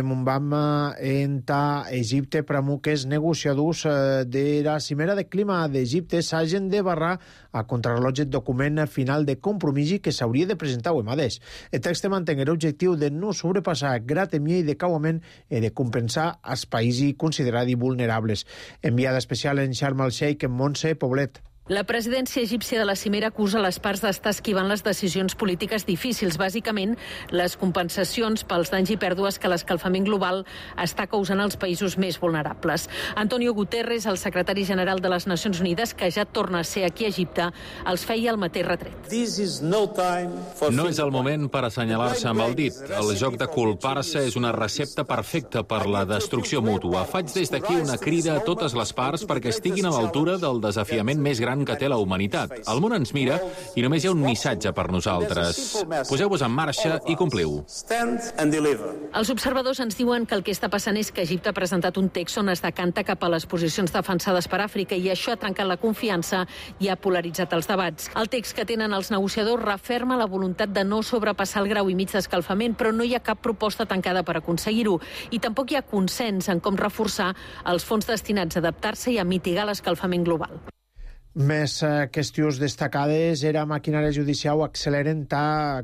Mon vam en ta Egipte per que els negociadors de la cimera de clima d'Egipte s'hagin de barrar a contrarrellotge document final de compromís que s'hauria de presentar avui mateix. El text manté l'objectiu de no sobrepassar gratemier i decauament i de compensar els països considerats vulnerables. Enviada especial en Sharm el-Sheikh en Montse Poblet. La presidència egípcia de la cimera acusa les parts d'estar esquivant les decisions polítiques difícils, bàsicament les compensacions pels danys i pèrdues que l'escalfament global està causant als països més vulnerables. Antonio Guterres, el secretari general de les Nacions Unides, que ja torna a ser aquí a Egipte, els feia el mateix retret. No és el moment per assenyalar-se amb el dit. El joc de culpar-se és una recepta perfecta per la destrucció mútua. Faig des d'aquí una crida a totes les parts perquè estiguin a l'altura del desafiament més gran que té la humanitat. El món ens mira i només hi ha un missatge per nosaltres. Poseu-vos en marxa i compliu. Els observadors ens diuen que el que està passant és que Egipte ha presentat un text on es decanta cap a les posicions defensades per Àfrica i això ha trencat la confiança i ha polaritzat els debats. El text que tenen els negociadors referma la voluntat de no sobrepassar el grau i mig d'escalfament, però no hi ha cap proposta tancada per aconseguir-ho. I tampoc hi ha consens en com reforçar els fons destinats a adaptar-se i a mitigar l'escalfament global. Més qüestions destacades era maquinària judicial acceleren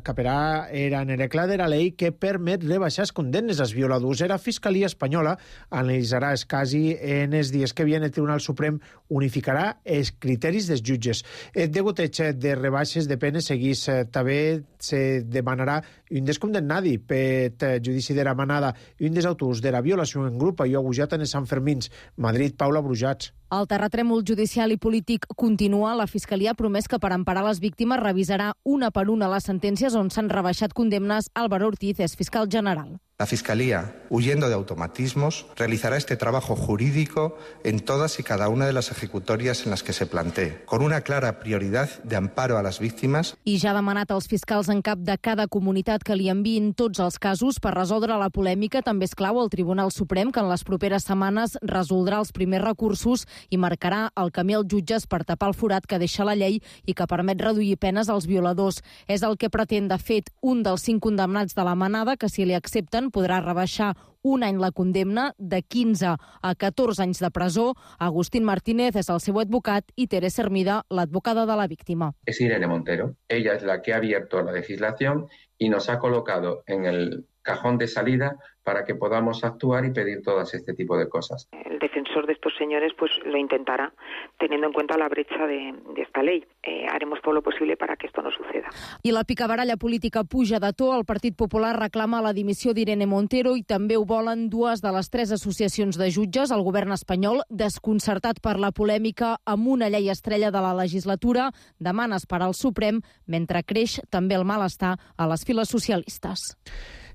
caperà era nerecla de la llei que permet rebaixar les condenes als violadors. La Fiscalia Espanyola analitzarà els casos en els dies que viene. El Tribunal Suprem unificarà els criteris dels jutges. El degoteig de rebaixes de penes seguís també se demanarà un descondemnadi per judici de la manada i un dels autors de la violació en grup i agujat en els Sant Fermins. Madrid, Paula Brujats. El terratrèmol judicial i polític continua. La Fiscalia ha promès que per emparar les víctimes revisarà una per una les sentències on s'han rebaixat condemnes. Álvaro Ortiz és fiscal general. La Fiscalía, huyendo de automatismos, realizará este trabajo jurídico en todas y cada una de las ejecutorias en las que se plantee, con una clara prioridad de amparo a las víctimas. I ja ha demanat als fiscals en cap de cada comunitat que li enviïn tots els casos per resoldre la polèmica. També és clau el Tribunal Suprem, que en les properes setmanes resoldrà els primers recursos i marcarà el camí als jutges per tapar el forat que deixa la llei i que permet reduir penes als violadors. És el que pretén, de fet, un dels 5 condemnats de la manada, que si li accepten podrà rebaixar un any la condemna de 15 a 14 anys de presó. Agustín Martínez és el seu advocat i Teresa Hermida, l'advocada de la víctima. Es Irene Montero. Ella es la que ha abierto la legislación y nos ha colocado en el cajón de salida para que podamos actuar y pedir todas este tipo de cosas. El defensor de estos señores pues lo intentará, teniendo en cuenta la brecha de esta ley. Haremos todo lo posible para que esto no suceda. I la picabaralla política puja de to. El Partit Popular reclama la dimissió d'Irene Montero i també ho volen 2 de les 3 associacions de jutges. El govern espanyol, desconcertat per la polèmica amb una llei estrella de la legislatura, demana esperar al Suprem, mentre creix també el malestar a les files socialistes.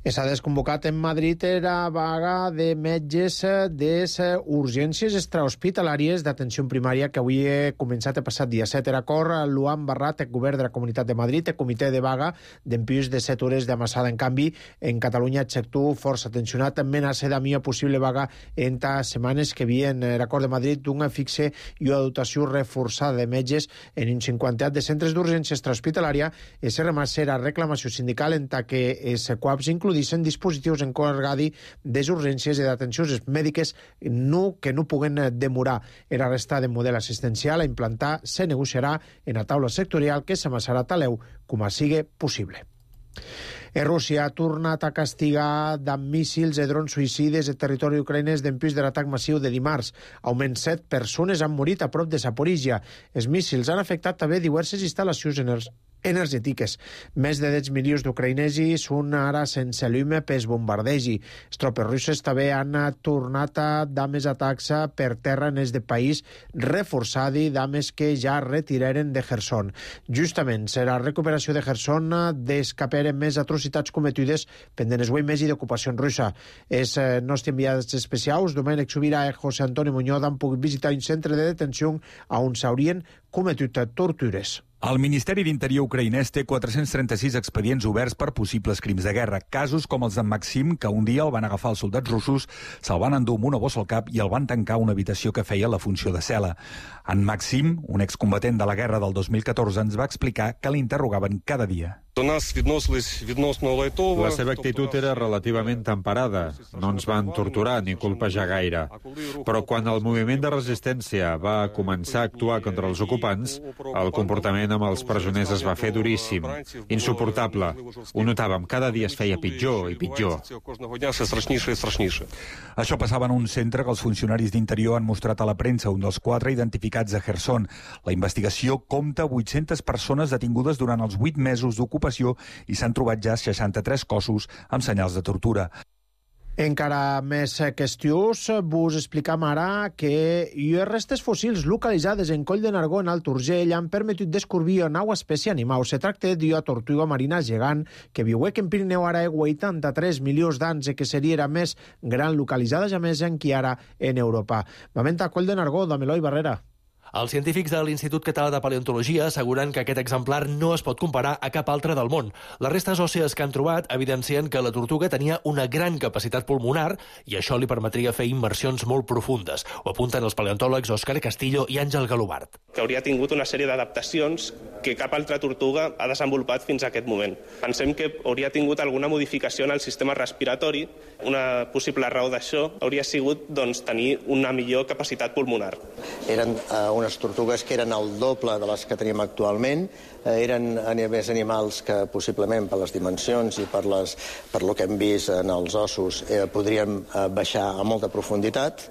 S'ha desconvocat en Madrid la vaga de metges de urgències extrahospitalàries d'atenció primària que avui ha començat el passat dia 7. D'acord, Luan Barrat, el govern de la Comunitat de Madrid, el comitè de vaga d'empius de 7 hores d'amassada. En canvi, en Catalunya, el sector força tensionat amenaça de una possible vaga en setmanes que vien. L'acord de Madrid d'una fixe i una dotació reforçada de metges en un 50 de centres d'urgència extrahospitalària és la reclamació sindical en que els quals includeixen dispositius encarregats de urgències i d'atencions mèdiques que no puguen demorar. La resta de model assistencial a implantar se negociarà en la taula sectorial que s'amassarà a Taleu com a sigui possible. Rússia ha tornat a castigar amb míssils i drons suïcides el territori ucraïnès d'empús de l'atac massiu de dimarts. Almenys 7 persones han morit a prop de Zaporizhia. Els míssils han afectat també diverses instal·lacions energètiques. Més de 10 milions d'ucraïnesos són ara sense llum pels bombardejos. Les tropes russes també han tornat a dar més atacs per terra en el país reforçat i dames que ja retiraren de Kherson. Justament, la recuperació de Kherson descaperen més atrocitats cometides pendent el mes i d'ocupació russa. Els nostres enviats especials, Domènec Subirà i José Antonio Muñoz, han pogut visitar un centre de detenció on s'haurien cometut tortures. El Ministeri d'Interior ucraïnès té 436 expedients oberts per possibles crims de guerra. Casos com els d'en Maxim, que un dia el van agafar els soldats russos, se'l van endur amb una bossa al cap i el van tancar a una habitació que feia la funció de cel·la. En Maxim, un excombatent de la guerra del 2014, ens va explicar que l'interrogaven cada dia. La seva actitud era relativament temperada. No ens van torturar ni colpejar gaire. Però quan el moviment de resistència va començar a actuar contra els ocupants, el comportament amb els presoners es va fer duríssim, insuportable. Ho notàvem, cada dia es feia pitjor i pitjor. Això passava en un centre que els funcionaris d'Interior han mostrat a la premsa, un dels 4 identificats a Kherson. La investigació compta 800 persones detingudes durant els 8 mesos d'ocupació i s'han trobat ja 63 cossos amb senyals de tortura. Encara més qüestions, vos explicam ara que les restes fòssils localitzades en Coll de Nargó, en Alt Urgell, han permetut descobrir una nova espècie animal. Se tracta d'una tortuga marina gegant que viu en Pirineu ara 83 milions d'anys i que seria la més gran localitzada ja més encara en Europa. Moment a Coll de Nargó, amb Eloi Barrera. Els científics de l'Institut Català de Paleontologia asseguren que aquest exemplar no es pot comparar a cap altre del món. Les restes òssees que han trobat evidencien que la tortuga tenia una gran capacitat pulmonar i això li permetria fer immersions molt profundes. Ho apunten els paleontòlegs Òscar Castillo i Àngel Galobart. Que hauria tingut una sèrie d'adaptacions que cap altra tortuga ha desenvolupat fins a aquest moment. Pensem que hauria tingut alguna modificació en el sistema respiratori. Una possible raó d'això hauria sigut tenir una millor capacitat pulmonar. Eren unes tortugues que eren el doble de les que tenim actualment. Eren més animals que possiblement per les dimensions i per lo que hem vist en els ossos podrien baixar a molta profunditat.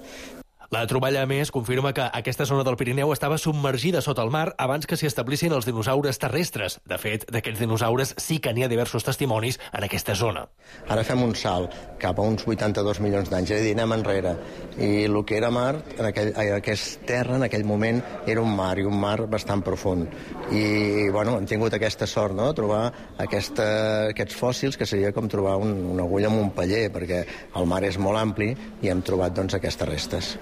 La troballa, a més, confirma que aquesta zona del Pirineu estava submergida sota el mar abans que s'hi establissin els dinosaures terrestres. De fet, d'aquests dinosaures sí que n'hi ha diversos testimonis en aquesta zona. Ara fem un salt cap a uns 82 milions d'anys, és a dir, anem enrere. I el que era mar, aquesta terra en aquell moment, era un mar, i un mar bastant profund. I, bueno, hem tingut aquesta sort, no?, de trobar aquests fòssils, que seria com trobar una agulla en un paller, perquè el mar és molt ampli i hem trobat, aquestes restes.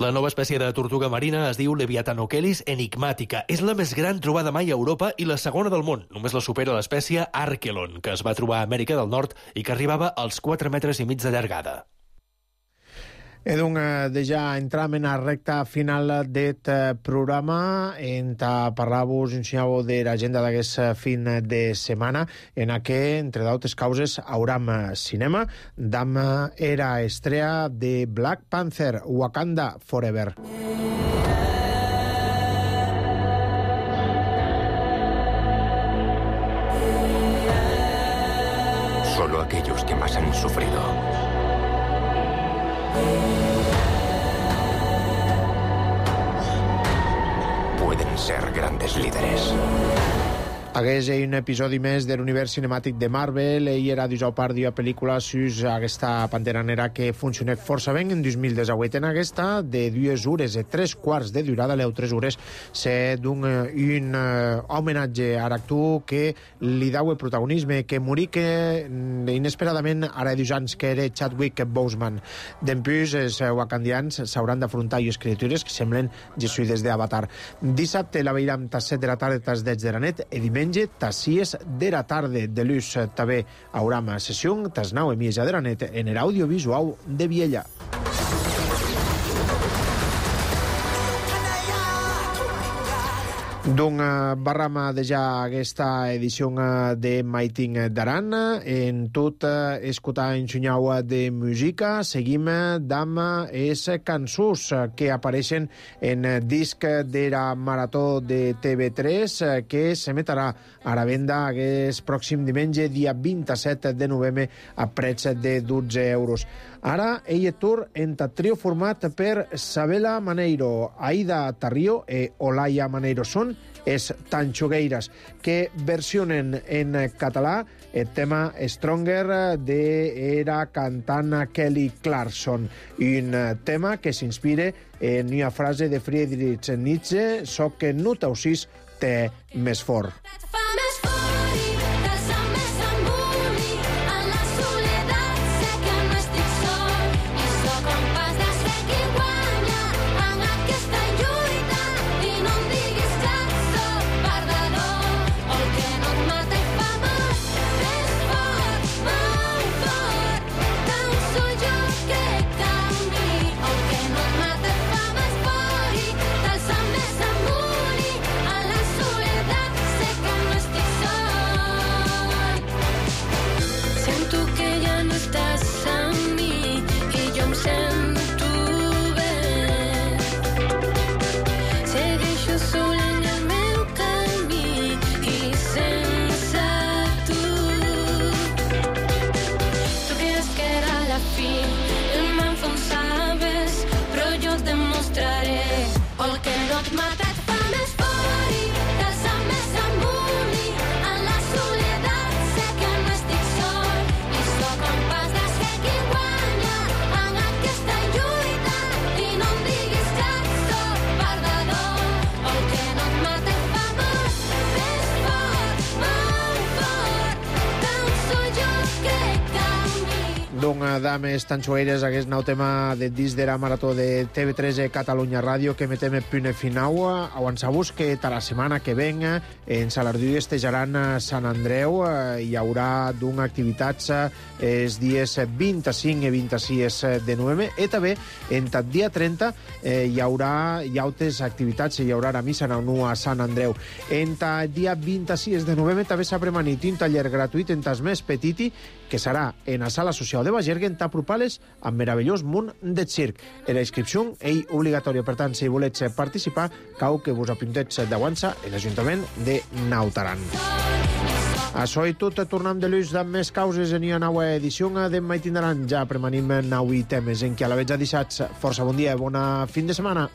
La nova espècie de tortuga marina es diu Leviathanochelys enigmatica. És la més gran trobada mai a Europa i la segona del món. Només la supera l'espècie Archelon, que es va trobar a Amèrica del Nord i que arribava als 4,5 metres de llargada. Donc, ja entram en la recta final d'aquest programa. Parlar-vos, ensenyar-vos de l'agenda d'aquest fin de setmana, en què, entre d'altres causes, hauram cinema. Demà era estrella de Black Panther, Wakanda Forever. Solo aquellos que más han sufrido pueden ser grandes líderes. Hagués un episodi més de l'univers cinemàtic de Marvel i era part d'una pel·lícula sus aquesta Pantera Negra que funciona força bé en 2018. En aquesta, de 2 hores i 3 quarts de durada, 3 hores, se d'un un homenatge a l'actor que li dau el protagonisme, que morí que inesperadament ara 2 anys, que era Chadwick Boseman. D'empús, els wakandians s'hauran d'afrontar les criatures que semblen jesuïdes d'Avatar. Dissabte la veiem a 7 de la tarda, tas 10 de la nit, i diumenge tas 6 de la tarda. De l'ús també haurà sessió tas 9:30 de la nit en l'audiovisual de Viella. Donc, barram de ja aquesta edició de Maiting d'Aran. En tot escoltar ensenyau de música, seguim amb les cançons que apareixen en disc de la Marató de TV3, que s'emetrà a la venda aquest pròxim diumenge, dia 27 de novembre, a preig de 12 euros. Ara, ell tour en trio format per Sabela Maneiro, Aida Tarrio i Olaya Maneiro. Són els Tanxogueiras, que versionen en català el tema Stronger de la cantant Kelly Clarkson, un tema que s'inspira en una frase de Friedrich Nietzsche: «Soc que no t'ausís té més fort». Second et mata et fa més fort i t'alça més amunt i en la soledat sé que no estic sol i sóc en pas de ser qui guanya en aquesta lluita i no em diguis que sóc perdedor el que no et mata et fa molt més fort, tant soy jo que canvi. Doncs, dames tan xueires, aquest nou tema de disc de la marató de TV3 Catalunya Ràdio que metem el punt final. Avançar-vos que la setmana que ven en Salardú estejaran a Sant Andreu. Hi haurà activitats els dies 25 i 26 de novembre i també en el dia 30 hi haurà altres activitats, hi haurà la missa a Sant Andreu. En el dia 26 de novembre també s'ha premanit un taller gratuït en tas més petiti que serà en la sala social de Bagergue en Tapropales amb meravellós munt de circ. La inscripció és obligatòria, per tant, si voleu participar, cal que vos apunteu d'avança a l'Ajuntament de Naut Aran. Això i tot, tornem de l'ús amb més causes en una nova edició d'Emma i tindran ja premanim 9 temes en què a la veig a dissats. Força bon dia, bona fin de setmana.